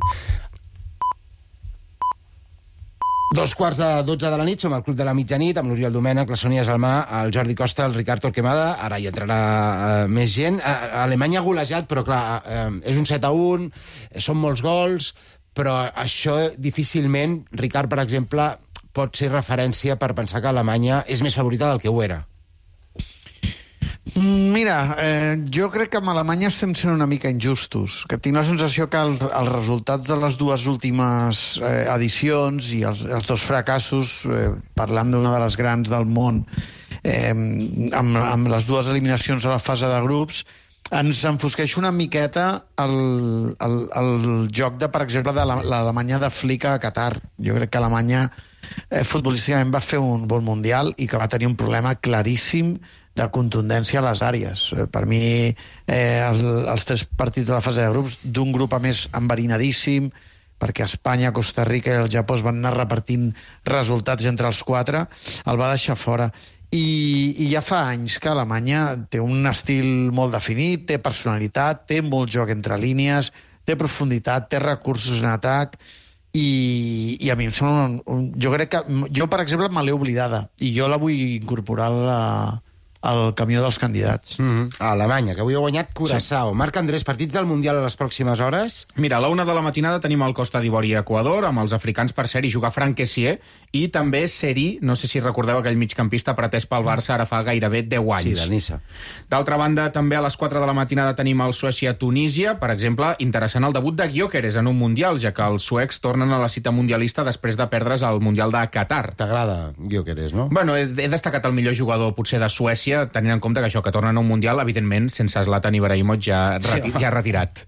Dos quarts de dotze de la nit, som al Club de la Mitjanit, amb l'Oriol Domènech, la Sònia Salmà, el Jordi Costa, el Ricard Torquemada. Ara hi entrarà uh, més gent. Uh, Alemanya ha golejat, però clar, uh, és un set a un, són molts gols, però això difícilment, Ricard, per exemple, pot ser referència per pensar que Alemanya és més favorita del que ho era. Mira, eh, jo crec que amb Alemanya estem sent una mica injustos, que tinc la sensació que el, els resultats de les dues últimes eh, edicions i els, els dos fracassos, eh, parlant d'una de les grans del món, eh, amb, amb les dues eliminacions a la fase de grups, ens enfosqueix una miqueta el, el, el joc de, per exemple, de l'Alemanya de Flick a Qatar. Jo crec que Alemanya eh, futbolísticament va fer un bon mundial i que va tenir un problema claríssim de contundència a les àrees. Per mi, eh, el, els tres partits de la fase de grups, d'un grup a més enverinadíssim, perquè Espanya, Costa Rica i el Japó es van anar repartint resultats entre els quatre, el va deixar fora. I, i ja fa anys que Alemanya té un estil molt definit, té personalitat, té molt joc entre línies, té profunditat, té recursos en atac, i, i a mi em sembla un, un, jo crec que jo, per exemple, me l'he oblidada i jo la vull incorporar a la al camió dels candidats. Mm-hmm. A Alemanya, que avui ha guanyat Curaçao. Sí. Marc Andrés, partits del Mundial a les pròximes hores? Mira, a la una de la matinada tenim el Costa d'Ivori i Equador, amb els africans per ser i jugar Franck Kessié, i també Seri, no sé si recordeu aquell migcampista pretès pel Barça ara fa gairebé deu anys. Sí, del Niça. D'altra banda, també a les quatre de la matinada tenim el Suècia-Tunísia, per exemple, interessant el debut de Gyökeres en un Mundial, ja que els suecs tornen a la cita mundialista després de perdre's al Mundial de Qatar. T'agrada Gyökeres, no? Bueno, he, he destacat el millor jugador potser de Suècia, tenint en compte que això, que tornen a un Mundial, evidentment, sense Zlatan Ibrahimovic ja, reti ja retirat.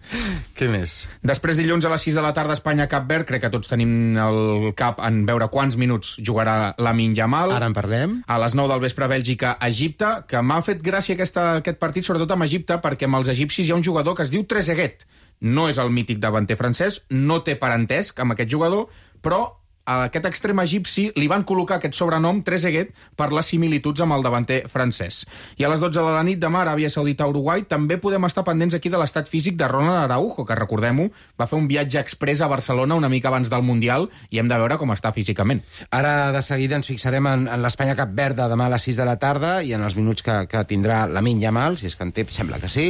Què més? Després, dilluns a les sis de la tarda, Espanya-Cap Verd, crec que tots tenim el cap en veure quants minuts jugarà Lamine Yamal. Ara en parlem. A les nou del vespre, Bèlgica-Egipte, que m'ha fet gràcia aquesta, aquest partit, sobretot amb Egipte, perquè amb els egipcis hi ha un jugador que es diu Trezeguet. No és el mític davanter francès, no té parentesc amb aquest jugador, però a aquest extrem egipci li van col·locar aquest sobrenom Trezeguet per les similituds amb el davanter francès. I a les dotze de la nit demà, Aràbia Saudita-Uruguai, també podem estar pendents aquí de l'estat físic de Ronald Araujo, que recordem-ho, va fer un viatge express a Barcelona una mica abans del Mundial i hem de veure com està físicament. Ara de seguida ens fixarem en, en l'Espanya-Cap Verd de demà a les sis de la tarda i en els minuts que, que tindrà Lamine Yamal, si és que en té, sembla que sí.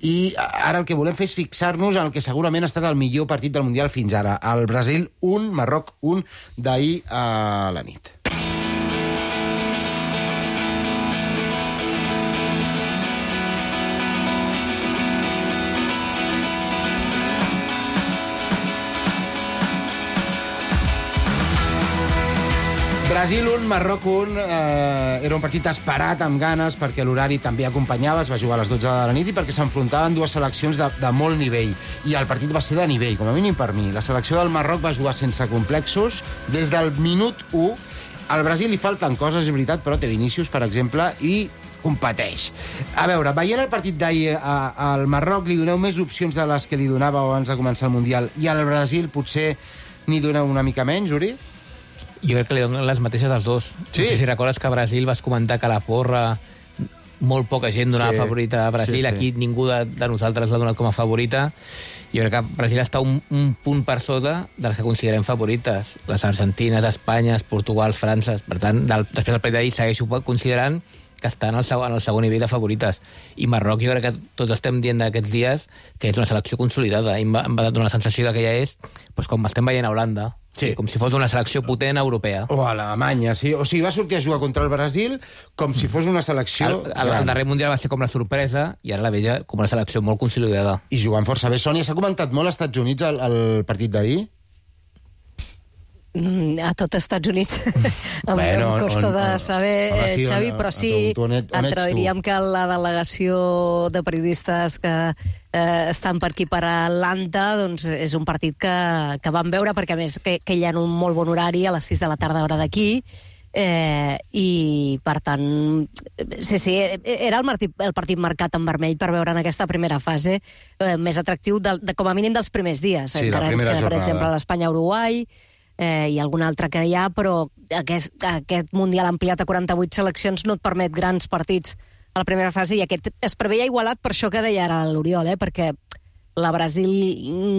I ara el que volem fer és fixar-nos en el que segurament ha estat el millor partit del Mundial fins ara. El Brasil un, Marroc un, d'ahir a la nit. Brasil un, Marroc un, eh, era un partit esperat amb ganes perquè l'horari també acompanyava, es va jugar a les dotze de la nit i perquè s'enfrontaven dues seleccions de, de molt nivell i el partit va ser de nivell, com a mínim per mi. La selecció del Marroc va jugar sense complexos des del minut u. Al Brasil li falten coses, és veritat, però té Vinícius, per exemple, i competeix. A veure, veient el partit d'ahir al Marroc li doneu més opcions de les que li donàveu abans de començar el Mundial i al Brasil potser n'hi doneu una mica menys, Uri? Jo crec que li donen les mateixes als dos. Sí. No sé si recordes que a Brasil vas comentar que la porra molt poca gent donava sí. favorita a Brasil, sí, sí. Aquí ningú de, de nosaltres l'ha donat com a favorita. Jo crec que Brasil està un, un punt per sota dels que considerem favorites. Les Argentines, Espanya, Portugal, França. Per tant, del, després del partit d'ahir segueixo considerant que estan al segon, al segon nivell de favorites. I Marroc, jo crec que tots estem dient d'aquests dies que és una selecció consolidada. I em va, em va donar la sensació que ja és pues, com estem veient a Holanda. Sí. Com si fos una selecció potent europea. O a Alemanya, sí. O sigui, va sortir a jugar contra el Brasil com si fos una selecció... El, el, el darrer Mundial va ser com la sorpresa i ara la veia com una selecció molt consolidada. I jugant força bé. Sònia, s'ha comentat molt als Estats Units el, el partit d'ahir? Mm, a tot Estats Units em, Bueno, em costa on- de on- saber, home, eh, sí, Xavi, on- però sí, on- on ets- on ets tu? diríem que la delegació de periodistes que eh, estan per aquí per Atlanta, doncs és un partit que, que vam veure, perquè a més que, que hi ha un molt bon horari a les sis de la tarda hora d'aquí, eh, i per tant sí, sí, era el partit, el partit marcat en vermell per veure en aquesta primera fase eh, més atractiu de, de, com a mínim dels primers dies. Sí, la Encara ens primera queda, per jornada. exemple, l'Espanya-Uruguai, eh, i algun altre que hi ha, però aquest, aquest Mundial ampliat a quaranta-vuit seleccions no et permet grans partits a la primera fase, i aquest es preveia igualat per això que deia ara l'Oriol, eh, perquè la Brasil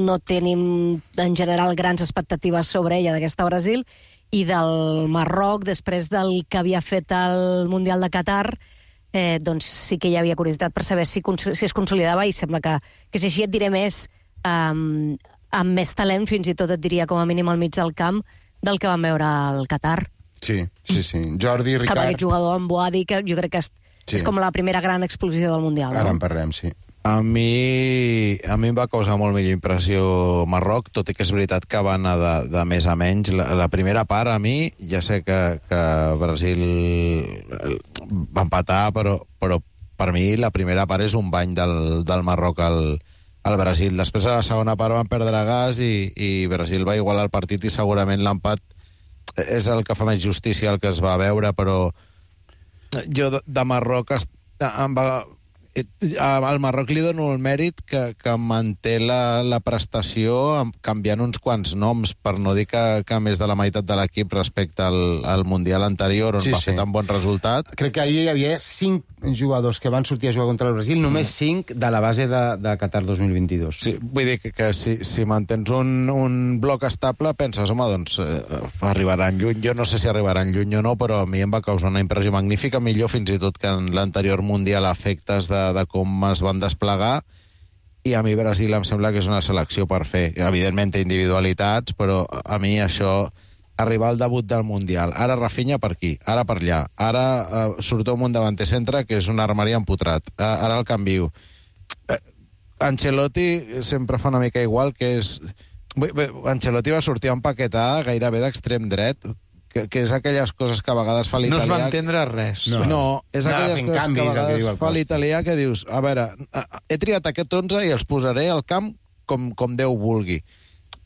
no tenim en general grans expectatives sobre ella, d'aquesta Brasil, i del Marroc, després del que havia fet el Mundial de Qatar, eh, doncs sí que hi havia curiositat per saber si, si es consolidava, i sembla que, que si així et diré més, um, amb més talent, fins i tot et diria com a mínim al mig del camp, del que vam veure al Qatar. Sí, sí, sí. Jordi, Amb Ricard... aquest jugador, en Boadi, que jo crec que és, Sí. és com la primera gran explosió del Mundial. Ara no? en parlem, sí. A mi, a mi em va causar molt millor impressió Marroc, tot i que és veritat que va anar de, de més a menys. La, la primera part, a mi, ja sé que, que Brasil va empatar, però, però per mi la primera part és un bany del, del Marroc al, al Brasil. Després, a la segona part, van perdre gas i, i Brasil va igualar el partit, i segurament l'empat és el que fa més justícia al que es va veure, però jo de, de Marroc est, em va... Al Marroc li dono el mèrit que, que manté la, la prestació canviant uns quants noms, per no dir que, que més de la meitat de l'equip respecte al, al Mundial anterior, on Sí, va sí. fer tan bon resultat. Crec que ahir hi havia cinc jugadors que van sortir a jugar contra el Brasil, només cinc de la base de, de Qatar dos mil vint-i-dos. Sí, vull dir que, que si, si mantens un, un bloc estable, penses, home, doncs eh, arribaran lluny. Jo no sé si arribaran lluny o no, però a mi em va causar una impressió magnífica, millor fins i tot que en l'anterior Mundial, a efectes de, de com es van desplegar, i a mi Brasil em sembla que és una selecció per fer. Evidentment té individualitats, però a mi això, arribar al debut del Mundial, ara Rafinha per aquí, ara per allà, ara eh, surt un davanter centre que és una armeria empotrat, eh, ara el canvio. Eh, Ancelotti sempre fa una mica igual, que és... Bé, bé, Ancelotti va sortir empaquetada gairebé d'extrem dret, que, que és aquelles coses que a vegades fa No l'italià... es va entendre res. No, no és Anava aquelles fent coses canvis, que a el que vegades diu el fa Costa. l'italià, que dius, a veure, he triat aquest onze i els posaré al camp com, com Déu vulgui.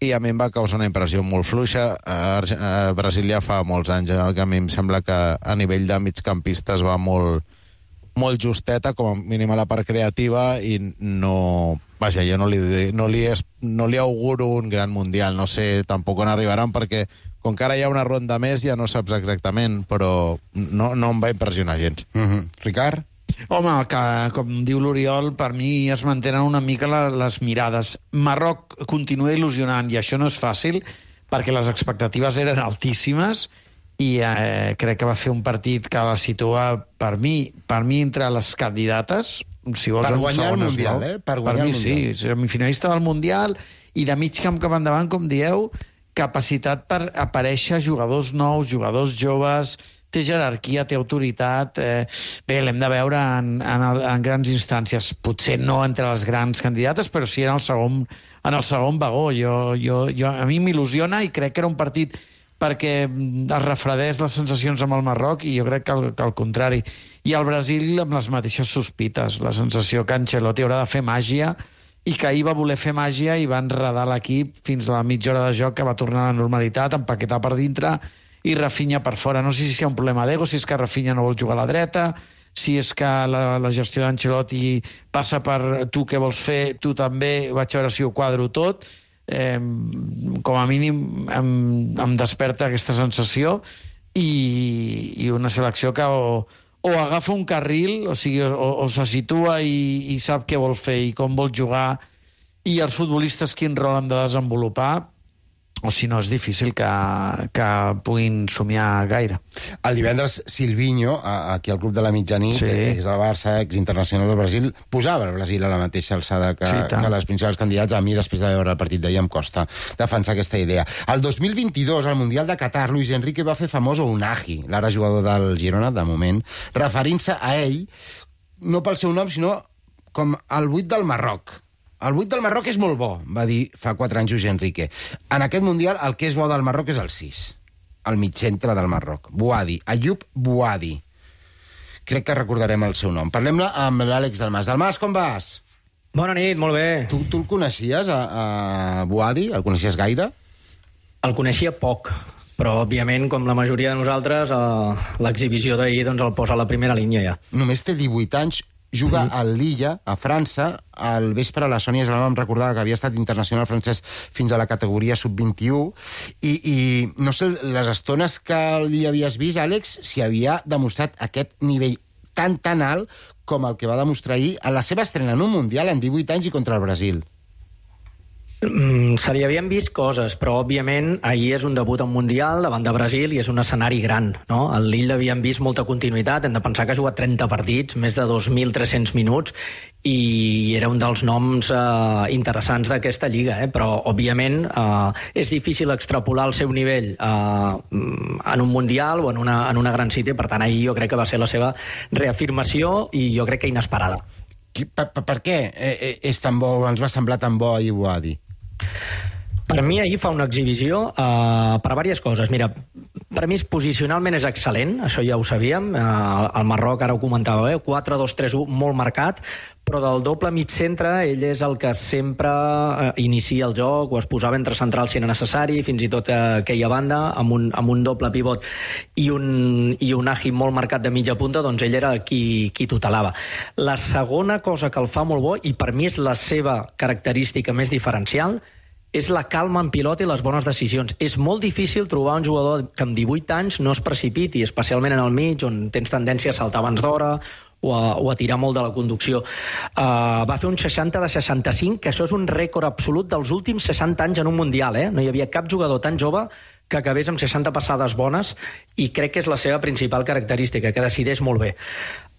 I a mi em va causar una impressió molt fluixa. A, Arge- a Brasil ja fa molts anys eh, que a mi em sembla que a nivell de migcampistes va molt, molt justeta, com a mínim a la part creativa, i no... Vaja, jo no li, no li, es, no li auguro un gran Mundial. No sé tampoc on arribaran, perquè com que ara hi ha una ronda més ja no saps exactament, però no, no em va impressionar gens. Mm-hmm. Ricard? Home, que, com diu l'Oriol, per mi es mantenen una mica la, les mirades. Marroc continua il·lusionant, i això no és fàcil, perquè les expectatives eren altíssimes, i eh, crec que va fer un partit que la situa, per mi, per mi entre les candidates, si vols, Per en guanyar el segon Mundial, esglaó. eh? Per guanyar mi el Mundial. sí, semifinalista del Mundial, i de mig camp cap endavant, com dieu, capacitat per aparèixer jugadors nous, jugadors joves, té jerarquia, té autoritat. Eh, bé, l'hem de veure en, en, el, en grans instàncies. Potser no entre les grans candidates, però sí en el segon, en el segon vagó. Jo, jo, jo, a mi m'il·lusiona, i crec que era un partit perquè es refredés les sensacions amb el Marroc, i jo crec que al, que al contrari. I el Brasil amb les mateixes sospites. La sensació que Ancelotti haurà de fer màgia, i que ahir va voler fer màgia i va enredar l'equip fins a la mitja hora de joc, que va tornar a la normalitat, empaquetar per dintre i Rafinha per fora. No sé si hi ha un problema d'ego, si és que Rafinha no vol jugar a la dreta, si és que la, la gestió d'Ancelotti passa per tu què vols fer, tu també, vaig a veure si ho quadro tot. Eh, com a mínim em, em desperta aquesta sensació, i, i una selecció que o, o agafa un carril, o sigui, o, o se situa i, i sap què vol fer i com vol jugar, i els futbolistes quin rol han de desenvolupar, o si no és difícil que, que puguin somiar gaire. El divendres, Silvinho, a- aquí al Club de la Mitjanit, Sí. ex del Barça, ex internacional del Brasil, posava el Brasil a la mateixa alçada que, Sí, tant. que les principals candidats. A mi, després de veure el partit d'ahir, em costa defensar aquesta idea. El dos mil vint-i-dos, al Mundial de Qatar, Luis Enrique va fer famós a Unagi, l'ara jugador del Girona, de moment, referint-se a ell, no pel seu nom, sinó com el vuit del Marroc. El vuit del Marroc és molt bo, va dir fa quatre anys Luis Enrique. En aquest Mundial el que és bo del Marroc és el sis, el mitjcentre del Marroc. Bouhaddi, Ayoub Bouhaddi. Crec que recordarem el seu nom. Parlem-ne amb l'Àlex Dalmas. Dalmas, com vas? Bona nit, molt bé. Tu, tu el coneixies, a, a Bouhaddi? El coneixies gaire? El coneixia poc, però, òbviament, com la majoria de nosaltres, l'exhibició d'ahir doncs, el posa a la primera línia ja. Només té divuit anys, juga a Lilla, a França. Al vespre la Sònia Esbalà em recordava que havia estat internacional francès fins a la categoria sub vint-i-u i, i no sé, les estones que li havies vist, Àlex, si havia demostrat aquest nivell tan, tan alt com el que va demostrar ahir a la seva estrena en un Mundial en divuit anys i contra el Brasil. Mm, se li havien vist coses, però òbviament ahir és un debut en Mundial davant de Brasil i és un escenari gran, no? Al Lille havien vist molta continuïtat, hem de pensar que ha jugat trenta partits, més de dos mil tres-cents minuts, i era un dels noms eh, interessants d'aquesta lliga, eh? Però òbviament eh, és difícil extrapolar el seu nivell eh, en un Mundial o en una, en una gran cita, per tant ahir jo crec que va ser la seva reafirmació i jo crec que inesperada. Per, per, per què és tan bo, ens va semblar tan bo ahir Bouhaddi? Per mi ahir fa una exhibició uh, per diverses coses. Mira, per mi posicionalment és excel·lent, això ja ho sabíem. Uh, el Marroc, ara ho comentava bé, quatre dos tres u, molt marcat, però del doble mig centre ell és el que sempre uh, inicia el joc, o es posava entre centrals si era necessari, fins i tot uh, aquella banda, amb un, amb un doble pivot i un, i un agi molt marcat de mitja punta, doncs ell era qui, qui tutelava. La segona cosa que el fa molt bo, i per mi és la seva característica més diferencial, és la calma en pilota i les bones decisions. És molt difícil trobar un jugador que amb divuit anys no es precipiti, especialment en el mig, on tens tendència a saltar abans d'hora o a, o a tirar molt de la conducció. Uh, va fer un seixanta de seixanta-cinc, que això és un rècord absolut dels últims seixanta anys en un Mundial. Eh? No hi havia cap jugador tan jove que acabés amb seixanta passades bones, i crec que és la seva principal característica, que decideix molt bé.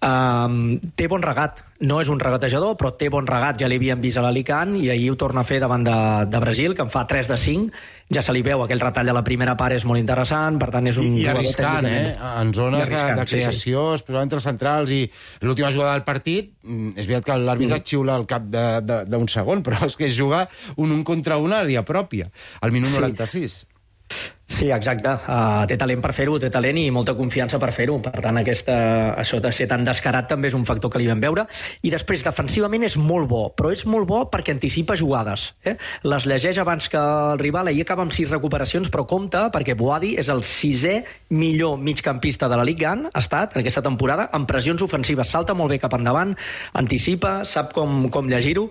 Um, té bon regat, no és un regatejador, però té bon regat, ja l'havíem vist a l'Alicant i ahir ho torna a fer davant de, de Brasil, que en fa tres de cinc, ja se li veu, aquell retall a la primera part és molt interessant, per tant és un I, i jugador arriscant, eh? En zones arriscant, de, de creació, sí, sí. Especialment entre els centrals, i l'última jugada del partit, és veritat que l'àrbitre mm. xiula al cap d'un segon, però és que es juga un un contra una a l'àrea pròpia, al minut sí. noranta-sis. Sí, exacte. Uh, té talent per fer-ho, té talent i molta confiança per fer-ho. Per tant, aquesta, això de ser tan descarat també és un factor que li vam veure. I després, defensivament és molt bo, però és molt bo perquè anticipa jugades. Eh? Les llegeix abans que el rival, ahir acaba amb sis recuperacions, però compte, perquè Bouhaddi és el sisè millor migcampista de la Ligue un, ha estat, en aquesta temporada, amb pressions ofensives. Salta molt bé cap endavant, anticipa, sap com, com llegir-ho.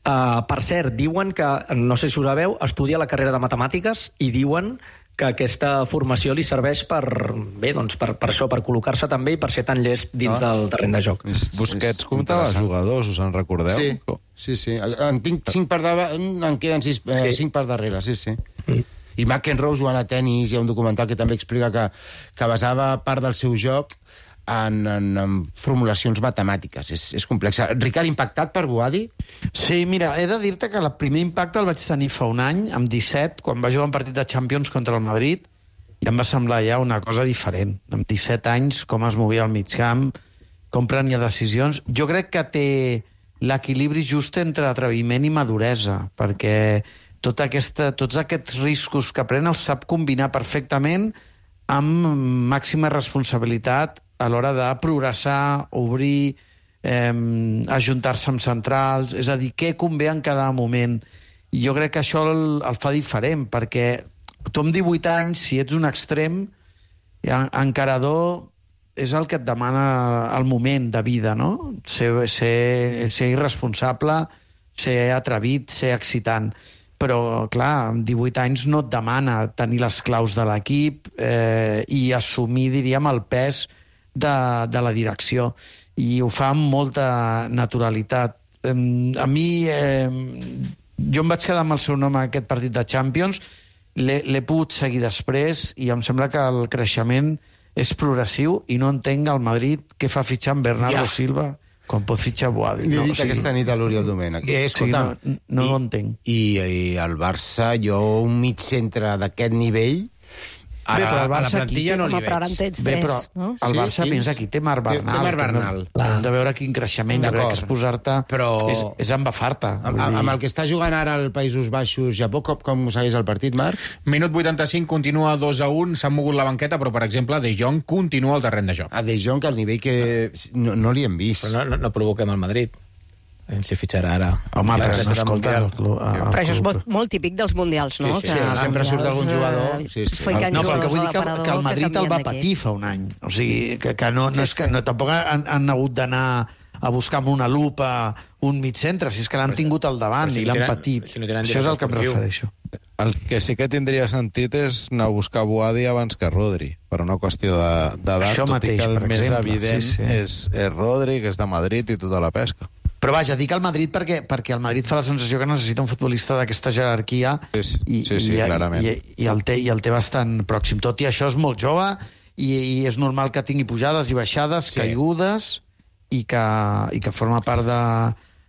Uh, per cert, diuen que, no sé si ho sabeu, estudia la carrera de matemàtiques i diuen que aquesta formació li serveix per, bé, doncs per, per això, per col·locar-se també i per ser tan llest dins ah. del terreny de joc. Busquets comptava jugadors, us en recordeu? Sí, sí, sí. En tinc cinc per davant, en queden sis, eh, sí. cinc per darrere, sí, sí. Mm. I McEnroe jugant a tennis, hi ha un documental que també explica que, que basava part del seu joc En, en, en formulacions matemàtiques. És, és complexa. Ricard, impactat per Bouhaddi? Sí, mira, he de dir-te que el primer impacte el vaig tenir fa un any, amb disset, quan va jugar un partit de Champions contra el Madrid, i em va semblar ja una cosa diferent. Amb disset anys, com es movia al mig camp, com prenia decisions. Jo crec que té l'equilibri just entre atreviment i maduresa, perquè tota aquesta, tots aquests riscos que pren els sap combinar perfectament amb màxima responsabilitat a l'hora de progressar, obrir, eh, ajuntar-se amb centrals, és a dir, què convé en cada moment. I jo crec que això el, el fa diferent, perquè tu amb divuit anys, si ets un extrem, encarador és el que et demana el moment de vida, no? Ser, ser, ser irresponsable, ser atrevit, ser excitant. Però, clar, amb divuit anys no et demana tenir les claus de l'equip eh, i assumir, diríem, el pes de, de la direcció. I ho fa amb molta naturalitat. Eh, a mi, eh, jo em vaig quedar amb el seu nom a aquest partit de Champions, l'he pogut seguir després i em sembla que el creixement és progressiu i no entenc al Madrid què fa fitxar amb Bernardo ja. Silva quan pot fitxar Bouhaddi. L'he no, dit o sigui, aquesta nit a l'Oriol Domènech. Eh, escolta, o sigui, no, no i, ho entenc. I, I el Barça, jo un mig centre d'aquest nivell, Bé, però el a la Barça aquí plantilla té- no li Home, però ara en veig. tens Bé, tres, però no? el Sí, Barça, sí. pensa, aquí té Marc Té- té Bernal. Marc que no- Bernal. Hem de veure quin creixement, jo crec D'acord. que és posar-te... Però- És, és embafar-te. Amb, vull dir- amb el que està jugant ara al Països Baixos, Japó, com, com segueix el partit, Marc? Minut vuitanta-cinc, continua dos a un, s'han mogut la banqueta, però, per exemple, De Jong continua al terreny de joc. A De Jong, al nivell que no, no li hem vist. Però no, no, no provoquem el Madrid. Aviam si fitxarà ara. Home, Ja però que no serà escolta... Mundial. El club, el Però això és club- molt, molt típic dels mundials, no? Sí, sí, sí, els sempre surt mundials, algun jugador, eh, sí, sí. fiquen No, però jugadors que vull a dir que, l'aparador que el Madrid el canvien va d'equip. patir fa un any. O sigui, que, que, no, no Sí, és que sí. no, tampoc han, han hagut d'anar a buscar amb una lupa un mig centre, si és que l'han tingut al davant però si i no l'han tenen- patit. si no tenen Això és el que em director refereixo. El que sí que tindria sentit és anar a buscar Boadi abans que Rodri, per una qüestió de- d'edat, Això tot mateix, i que el per més exemple, evident sí, sí. És, és Rodri, que és de Madrid, i tota la pesca. Però vaja, dic el Madrid perquè, perquè el Madrid fa la sensació que necessita un futbolista d'aquesta jerarquia Sí, i, sí, sí, i, clarament. i, i, el té, i el té bastant pròxim. Tot i això és molt jove i, i és normal que tingui pujades i baixades, Sí. sí. caigudes, i que, i que forma part de,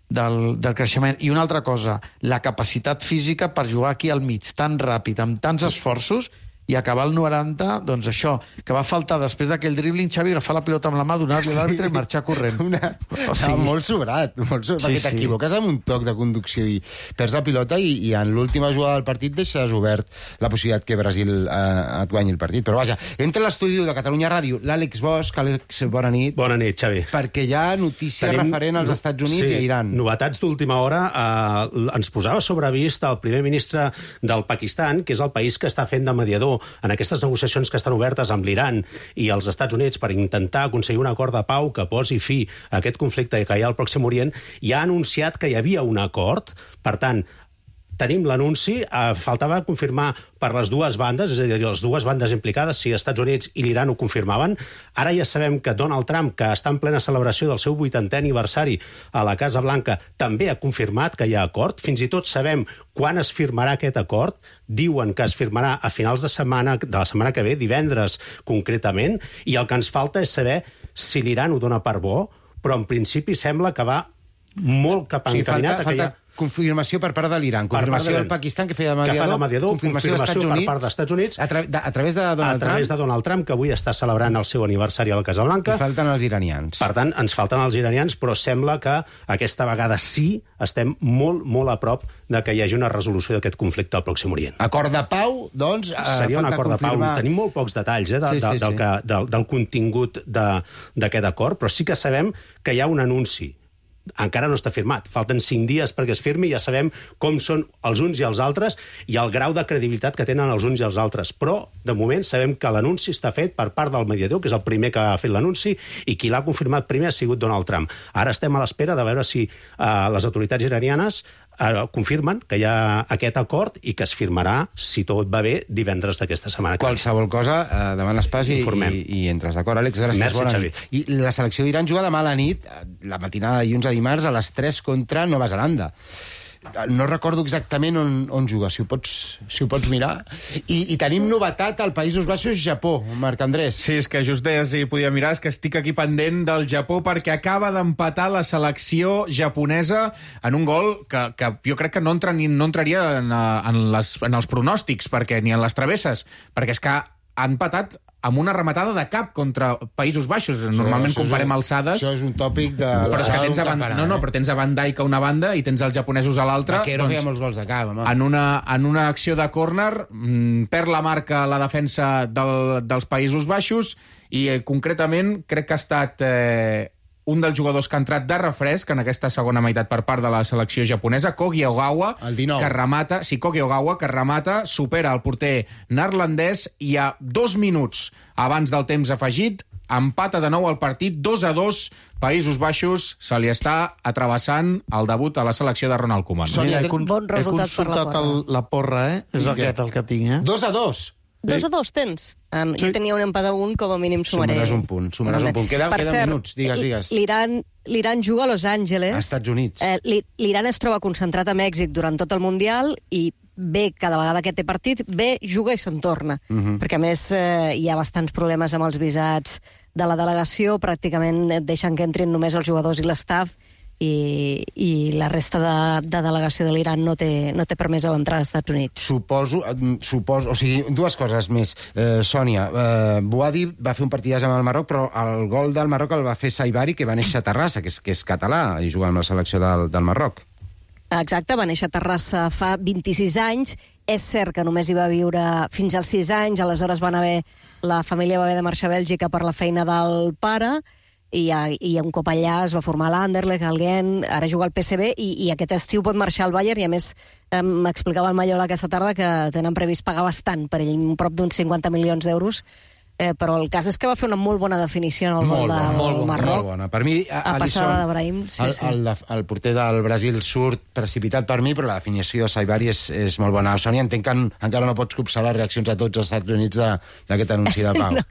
del, del creixement. I una altra cosa, la capacitat física per jugar aquí al mig tan ràpid, amb tants esforços, i acabar el noranta, doncs això, que va faltar després d'aquell dribbling, Xavi, agafar la pilota amb la mà, donar-li a l'àrbitre i marxar corrent. Una... O sigui- No, molt sobrat, molt sobrat, Sí, perquè sí. t'equivoques amb un toc de conducció i perds la pilota i, i en l'última jugada del partit deixes obert la possibilitat que Brasil eh, et guanyi el partit. Però vaja, entra a l'estudi de Catalunya Ràdio l'Àlex Bosch. Àlex, bona nit. Bona nit, Xavi. Perquè hi ha notícia Tenim- referent als no- Estats Units sí, i a Iran. Novetats d'última hora. Eh, ens posava sobre vist el primer ministre del Pakistan, que és el país que està fent de mediador en aquestes negociacions que estan obertes amb l'Iran i els Estats Units per intentar aconseguir un acord de pau que posi fi a aquest conflicte que hi ha al Pròxim Orient, i ha anunciat que hi havia un acord. Per tant, tenim l'anunci, eh, faltava confirmar per les dues bandes, és a dir, les dues bandes implicades, si els Estats Units i l'Iran ho confirmaven. Ara ja sabem que Donald Trump, que està en plena celebració del seu vuitantè aniversari a la Casa Blanca, també ha confirmat que hi ha acord. Fins i tot sabem quan es firmarà aquest acord. Diuen que es firmarà a finals de setmana, de la setmana que ve, divendres concretament, i el que ens falta és saber si l'Iran ho dona per bo, però en principi sembla que va molt cap O sigui, encaminat falta, a que hi ha... falta confirmació per part de l'Iran, Per part confirmació de del l'Iran. Pakistan, que feia de Que mediador, fa de mediador, confirmació, confirmació d'Estats per Units, part dels Estats Units, a, tra de, a través de a Donald través Trump, de Donald Trump, que avui està celebrant el seu aniversari a la Casa Blanca. i falten els iranians. Per tant, ens falten els iranians, però sembla que aquesta vegada sí estem molt, molt a prop de que hi hagi una resolució d'aquest conflicte al Pròxim Orient. Acord de pau, doncs... eh, Seria un falta acord de pau. confirmar- Tenim molt pocs detalls eh, de, Sí, de, sí, del, sí. que, del, del contingut de- d'aquest acord, però sí que sabem que hi ha un anunci. Encara no està firmat. Falten cinc dies perquè es firmi i ja sabem com són els uns i els altres i el grau de credibilitat que tenen els uns i els altres. Però, de moment, sabem que l'anunci està fet per part del mediador, que és el primer que ha fet l'anunci, i qui l'ha confirmat primer ha sigut Donald Trump. Ara estem a l'espera de veure si eh, les autoritats iranianes eh, confirmen que hi ha aquest acord i que es firmarà, si tot va bé, divendres d'aquesta setmana. Qualsevol cosa, eh, davant l'espàs i, Informem. i, i entres. D'acord, Àlex? Gràcies, Merci, bona Xavi. nit. I la selecció d'Iran juga demà a la nit, eh, la matinada de dilluns a dimarts, a les tres contra Nova Zelanda. No recordo exactament on, on juga, si ho pots, si ho pots mirar. I, I tenim novetat al Països Baixos, Japó, Marc Andrés. Sí, és que just deies i podia mirar, és que estic aquí pendent del Japó perquè acaba d'empatar la selecció japonesa en un gol que, que jo crec que no, entra, ni, no entraria en, eh, en, les, en els pronòstics, perquè ni en les travesses, perquè és que ha empatat amb una rematada de cap contra Països Baixos. Normalment això és comparem un- alçades... Això és un tòpic de... Però és que tens a Van, Van, no, no, però tens a Van Dijk a una banda i tens els japonesos a l'altra. Vaquero feia molts gols de cap, home. En una, en una acció de córner, mm, perd la marca la defensa del, dels Països Baixos i, eh, concretament, crec que ha estat eh, un dels jugadors que ha entrat de refresc en aquesta segona meitat per part de la selecció japonesa, Kogi Ogawa, que remata, sí, Kogi Ogawa, que remata, supera el porter neerlandès i a dos minuts abans del temps afegit empata de nou el partit, dos a dos, Països Baixos, se li està atrevessant el debut a la selecció de Ronald Koeman. Mira, he, con Bon he resultat per la consultat porra. el, la porra, eh? És I què? aquest el que tinc, eh? Dos a dos. Dos a dos tens? Ah, no, jo tenia un empat a un, com a mínim sumaré. Sumaràs un punt, sumaràs un punt. Queda- Per queden cert, minuts, digues, digues. L'Iran l'Iran juga a Los Angeles. A Estats Units. Eh, l'I- L'Iran es troba concentrat a Mèxic durant tot el Mundial i bé, cada vegada que té partit, bé, juga i se'n torna. Mhm. Perquè, a més, eh, hi ha bastants problemes amb els visats de la delegació, pràcticament et deixen que entrin només els jugadors i l'estaf, i, i la resta de, de delegació de l'Iran no té, no té permès a l'entrada als Estats Units. Suposo, suposo, o sigui, dues coses més. Eh, Sònia, eh, Boadi va fer un partidàs amb el Marroc, però el gol del Marroc el va fer Saibari, que va néixer a Terrassa, que és, que és català, i juga amb la selecció del, del Marroc. Exacte, va néixer a Terrassa fa vint-i-sis anys. És cert que només hi va viure fins als sis anys, aleshores van haver, la família va haver de marxar a Bèlgica per la feina del pare, i, i un cop allà es va formar l'Anderlecht, el Gent, ara juga al P S V, i, i aquest estiu pot marxar al Bayern, i a més m'explicava el Mayola aquesta tarda que tenen previst pagar bastant per ell, prop d'uns cinquanta milions d'euros, eh, però el cas és que va fer una molt bona definició en el gol del molt Marroc. Molt bona. Per mi, a, a passada d'Ebrahim, sí, el, sí. El, el porter del Brasil surt precipitat per mi, però la definició de Saibari és, és molt bona. Sònia, entenc que en, encara no pots copsar les reaccions a tots els Estats Units d'aquest anunci de pau. no.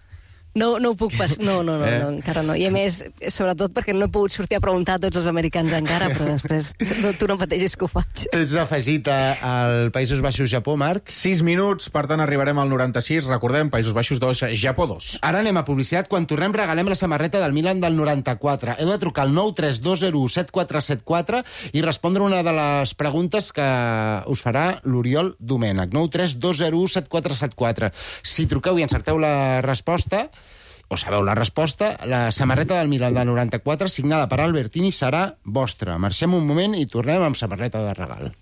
No, no ho puc pas... No, no, no, eh? no, encara no. I a més, sobretot perquè no he pogut sortir a preguntar a tots els americans encara, però després no, tu no pateixis que ho faig. Tens afegit al Països Baixos-Japó, Marc? sis minuts, per tant arribarem al noranta-sis. Recordem, Països Baixos dos, Japó dos. Ara anem a publicitat. Quan tornem regalem la samarreta del Milan del noranta-quatre. Heu de trucar al nou tres dos zero u set quatre set quatre i respondre una de les preguntes que us farà l'Oriol Domènech. nou tres dos zero u set quatre set quatre. Si truqueu i encerteu la resposta, o sabeu la resposta, la samarreta del Milan del noranta-quatre, signada per Albertini, serà vostra. Marxem un moment i tornem amb samarreta de regal.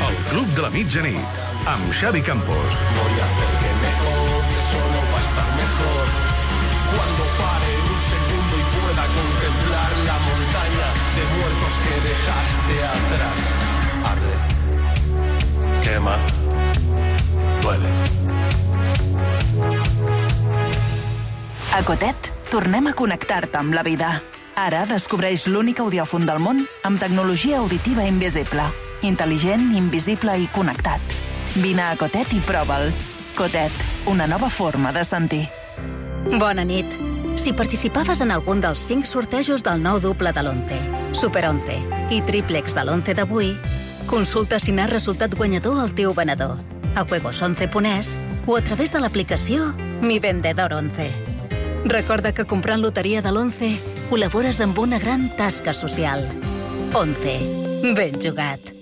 El Club de la Mitjanit, amb Xavi Campos. Voy a hacer que me odies solo para estar mejor. Cuando pare un segundo y pueda contemplar la montaña de muertos que dejaste atrás. Arde, quema, duele. A Cotet, tornem a connectar-te amb la vida. Ara descobreix l'únic audiòfon del món amb tecnologia auditiva invisible. Intel·ligent, invisible i connectat. Vine a Cotet i prova'l. Cotet, una nova forma de sentir. Bona nit. Si participaves en algun dels cinc sortejos del nou duple de l'once, Super onze i triplex de l'once d'avui, consulta si n'ha resultat guanyador el teu venedor a juegos once punt es o a través de l'aplicació Mi Vendedor once. Recorda que comprant loteria de l'once col·labores amb una gran tasca social. once. Ben jugat.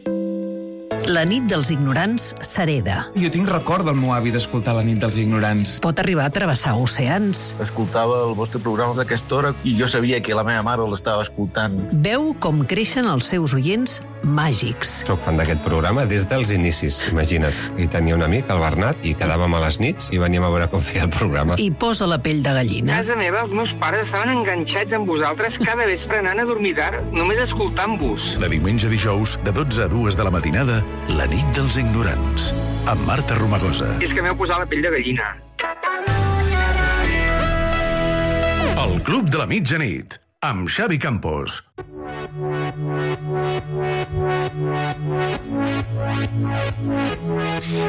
La nit dels ignorants s'hereda. Jo tinc record del meu avi d'escoltar La nit dels ignorants. Pot arribar a travessar oceans. Escoltava el vostre programa d'aquesta hora i jo sabia que la meva mare l'estava escoltant. Veu com creixen els seus oients màgics. Soc fan d'aquest programa des dels inicis, imagina't. I tenia un amic, el Bernat, i quedàvem a les nits i veníem a veure com feia el programa. I posa la pell de gallina. A casa meva, els meus pares estaven enganxats amb vosaltres cada vespre anant a dormir tard, només escoltant-vos. De diumenge a dijous, de dotze a dues de la matinada, La nit dels ignorants, amb Marta Romagosa. És que m'heu posat la pell de gallina. El Club de la Mitjanit, amb Xavi Campos.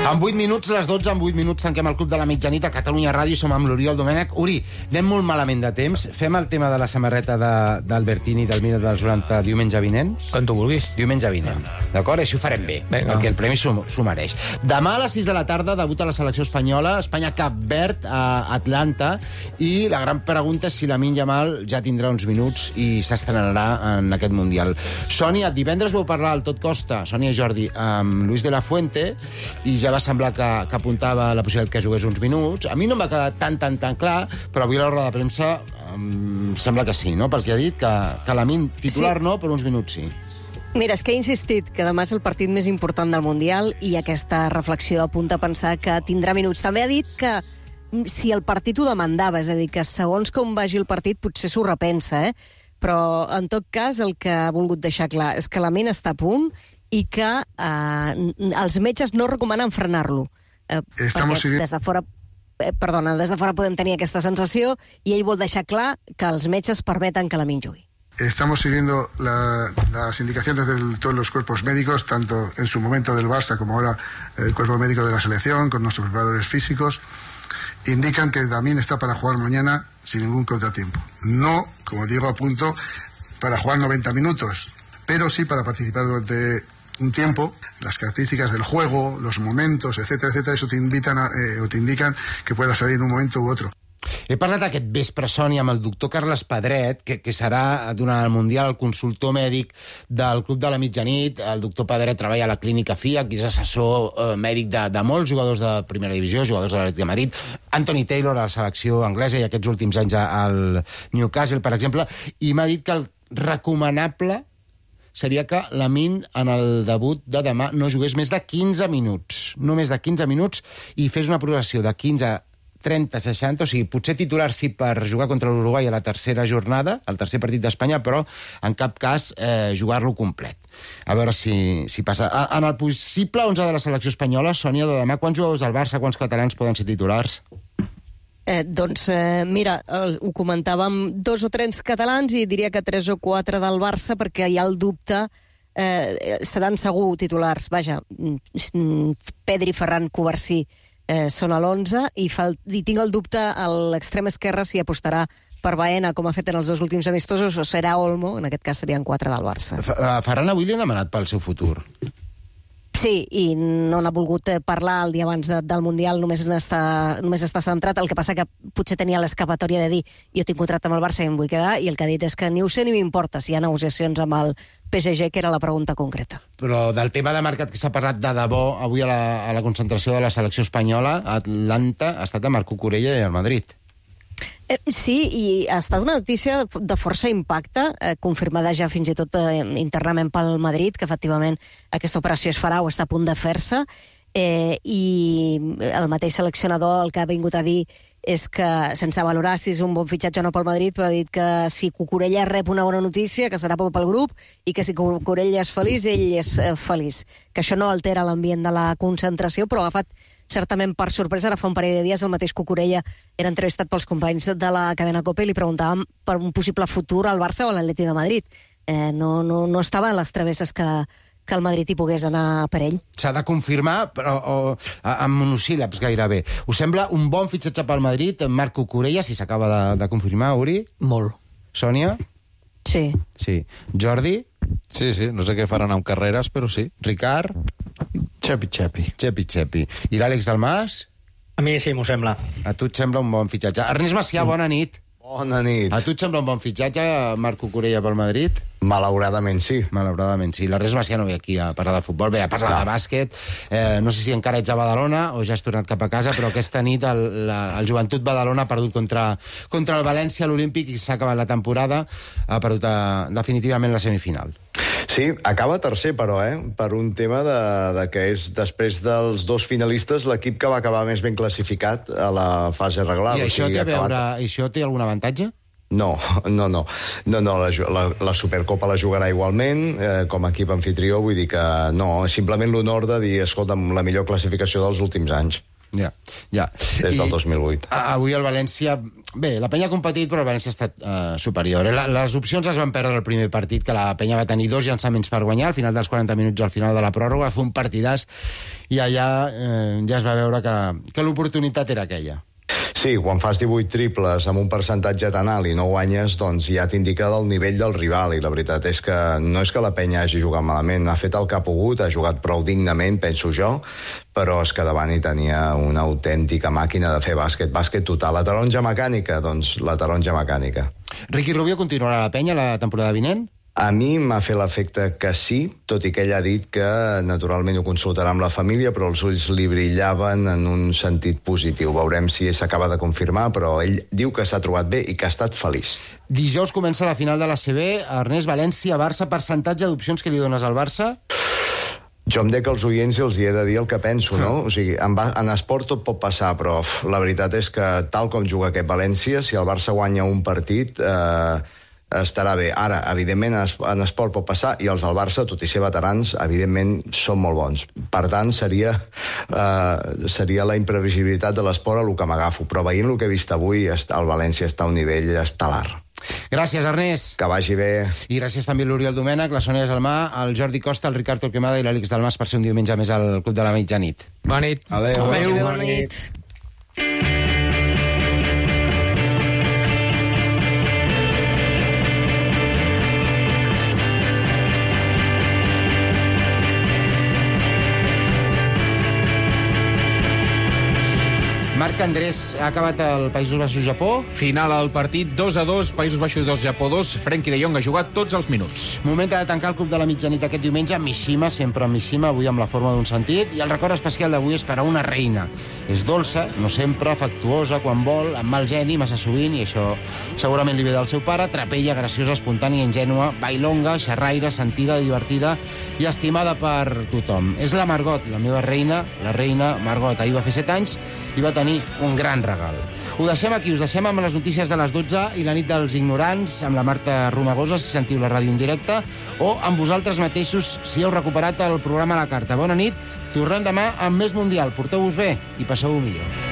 En vuit minuts, les dotze, en vuit minuts tanquem el Club de la Mitjanit a Catalunya Ràdio. Som amb l'Oriol Domènech. Uri, anem molt malament de temps. Fem el tema de la samarreta d'Albertini del Milan dels noranta diumenge vinent? Quan tu vulguis. Diumenge vinent. D'acord? Així ho farem bé, Venga. perquè el premi s'ho mereix. Demà a les sis de la tarda debuta la selecció espanyola, Espanya-Cap Verd a Atlanta, i la gran pregunta és si Lamine Yamal ja tindrà uns minuts i s'estrenarà en aquest Mundial. Sònia, divendres vau parlar al Tot Costa, Sònia i Jordi, amb Luis de la Fuente, i ja va semblar que, que apuntava la possibilitat que jugués uns minuts. A mi no em va quedar tan, tan, tan clar, però avui a la roda de premsa em sembla que sí, no? Perquè ha dit que, que Lamine titular sí. No, però uns minuts sí. Mira, és que he insistit que demà és el partit més important del Mundial i aquesta reflexió apunta a pensar que tindrà minuts. També ha dit que si el partit ho demandava, és a dir, que segons com vagi el partit potser s'ho repensa, eh? Però en tot cas el que ha volgut deixar clar és que la ment està a punt i que eh, els metges no recomanen frenar-lo. Eh, perquè des de fora... Eh, perdona, des de fora podem tenir aquesta sensació i ell vol deixar clar que els metges permeten que Lamine jugui. Estamos siguiendo la, las indicaciones de todos los cuerpos médicos, tanto en su momento del Barça como ahora el cuerpo médico de la selección, con nuestros preparadores físicos. Indican que Lamine está para jugar mañana sin ningún contratiempo. No, como digo, a punto para jugar noventa minutos, pero sí para participar durante un tiempo. Las características del juego, los momentos, etcétera, etcétera, eso te invitan a, eh, o te indican que pueda salir en un momento u otro. He parlat aquest vespre, Sònia, amb el doctor Carles Pedret, que, que serà, durant el Mundial, el consultor mèdic del Club de la Mitjanit. El doctor Pedret treballa a la clínica F I A, que és assessor eh, mèdic de, de molts jugadors de primera divisió, jugadors de l'Atlètic de Madrid, Anthony Taylor a la selecció anglesa i aquests últims anys al Newcastle, per exemple, i m'ha dit que el recomanable seria que Lamine, en el debut de demà, no jugués més de quinze minuts. No més de quinze minuts i fes una progressió de quinze, trenta, seixanta, o sigui, potser titular sí per jugar contra l'Uruguai a la tercera jornada, al tercer partit d'Espanya, però en cap cas eh, jugar-lo complet. A veure si, si passa. En el possible onze de la selecció espanyola, Sònia, de demà, quants jugadors del Barça, quants catalans poden ser titulars? Eh, doncs, eh, mira, el, ho comentàvem, dos o tres catalans i diria que tres o quatre del Barça, perquè hi ha el dubte, eh, seran segur titulars. Vaja, Pedri, Ferran, Covarsí eh, són a l'onze i, fal... i tinc el dubte a l'extrem esquerre si apostarà per Baena, com ha fet en els dos últims amistosos, o serà Olmo, en aquest cas serien quatre del Barça. Ferran avui li han demanat pel seu futur. Sí, i no n'ha volgut parlar el dia abans de, del Mundial, només està, només està centrat. El que passa que potser tenia l'escapatòria de dir jo tinc contracte amb el Barça i em vull quedar, i el que ha dit és que ni ho sé ni m'importa si hi ha negociacions amb el P S G, que era la pregunta concreta. Però del tema de mercat que s'ha parlat de debò avui a la, a la concentració de la selecció espanyola, Atlanta ha estat a Marco Corella i al Madrid. Eh, sí, i ha estat una notícia de força impacte, eh, confirmada ja fins i tot eh, internament pel Madrid, que efectivament aquesta operació es farà o està a punt de fer-se, eh, i el mateix seleccionador el que ha vingut a dir és que, sense valorar si és un bon fitxatge o no pel Madrid, però ha dit que si Cucurella rep una bona notícia, que serà pel grup, i que si Cucurella és feliç, ell és eh, feliç. Que això no altera l'ambient de la concentració, però ha agafat certament per sorpresa. Ara fa un parell de dies el mateix Cucurella era entrevistat pels companys de la cadena COPE i li preguntàvem per un possible futur al Barça o a l'Atleti de Madrid. Eh, no, no, no estava en les travesses que, que el Madrid hi pogués anar per ell. S'ha de confirmar, però o, amb monosíl·labs gairebé. Us sembla un bon fitxatge pel Madrid, Marc Cucurella, si s'acaba de, de confirmar, Uri? Molt. Sònia? Sí. Sí. Jordi? Sí, sí, no sé què faran amb carreres, però sí. Ricard? Xepi, xepi. Xepi, xepi. I l'Àlex Dalmas? A mi sí, m'ho sembla. A tu et sembla un bon fitxatge. Ernest Macià, bona nit. Bona nit. A tu et sembla un bon fitxatge, Marc Cucurella pel Madrid? Malauradament sí. Malauradament sí. L'Ernest Macià no ve aquí a parlar de futbol, ve a parlar no. de bàsquet. Eh, no sé si encara ets a Badalona o ja has tornat cap a casa, però aquesta nit el, la, el Joventut Badalona ha perdut contra, contra el València a l'Olímpic i s'ha acabat la temporada, ha perdut a, definitivament la semifinal. Sí, acaba tercer, però, eh? Per un tema de, de que és, després dels dos finalistes, l'equip que va acabar més ben classificat a la fase regular. I això, o sigui, té, acabat... veure, això té algun avantatge? No, no, no. no, no la, la, la Supercopa la jugarà igualment, eh, com a equip anfitrió, vull dir que no, simplement l'honor de dir, escolta'm, la millor classificació dels últims anys. Ja, ja. Des del I, dos mil vuit. Avui el València... Bé, la Penya ha competit, però el València ha estat uh, superior. La, les opcions es van perdre el primer partit, que la Penya va tenir dos llançaments per guanyar, al final dels quaranta minuts, al final de la pròrroga, fa un partidàs, i allà eh, ja es va veure que, que l'oportunitat era aquella. Sí, quan fas divuit triples amb un percentatge tan alt i no guanyes, doncs ja t'indica del nivell del rival, i la veritat és que no és que la Penya hagi jugat malament, ha fet el que ha pogut, ha jugat prou dignament, penso jo, però és que davant hi tenia una autèntica màquina de fer bàsquet, bàsquet total. La taronja mecànica, doncs la taronja mecànica. Ricky Rubio continuarà a la Penya la temporada vinent? A mi m'ha fet l'efecte que sí, tot i que ell ha dit que naturalment ho consultarà amb la família, però els ulls li brillaven en un sentit positiu. Veurem si s'acaba de confirmar, però ell diu que s'ha trobat bé i que ha estat feliç. Dijous comença la final de l'A C B. Ernest, València, Barça, percentatge d'opcions que li dones al Barça? Jo em dec als oients i els hi he de dir el que penso, no? O sigui, en, en esport tot pot passar, però la veritat és que tal com juga aquest València, si el Barça guanya un partit... Eh, estarà bé. Ara, evidentment, en esport pot passar, i els del Barça, tot i ser veterans, evidentment, són molt bons. Per tant, seria, eh, seria la imprevisibilitat de l'esport a el que m'agafo. Però veient el que he vist avui, el València està a un nivell estel·lar. Gràcies, Ernest. Que vagi bé. I gràcies també a l'Oriol Domènech, la Sònia Salmà, el Jordi Costa, el Ricard Torquemada i l'Àlex Dalmas per ser un diumenge més al Club de la Mitjanit. Bona nit. Adéu. Adéu. Bona nit. Andrés, ha acabat el Països Baixos-Japó. Final al partit, dos a dos, Països Baixos dos, Japó dos. Frenkie de Jong ha jugat tots els minuts. Moment de tancar el Club de la Mitjanit aquest diumenge. Mishima, sempre Mishima, avui amb la forma d'un sentit. I el record especial d'avui és per a una reina. És dolça, no sempre, afectuosa, quan vol, amb mal geni, massa sovint, i això segurament li ve del seu pare. Trapella, graciosa, espontània, ingènua, bailonga, xerraire, sentida, divertida i estimada per tothom. És la Margot, la meva reina, la reina Margot. Ahir va fer set anys i va tenir un gran regal. Ho deixem aquí, us deixem amb les notícies de les dotze i la nit dels ignorants, amb la Marta Romagosa, si sentiu la ràdio en directe, o amb vosaltres mateixos, si heu recuperat el programa a la carta. Bona nit, tornem demà amb més Mundial. Porteu-vos bé i passeu-ho millor.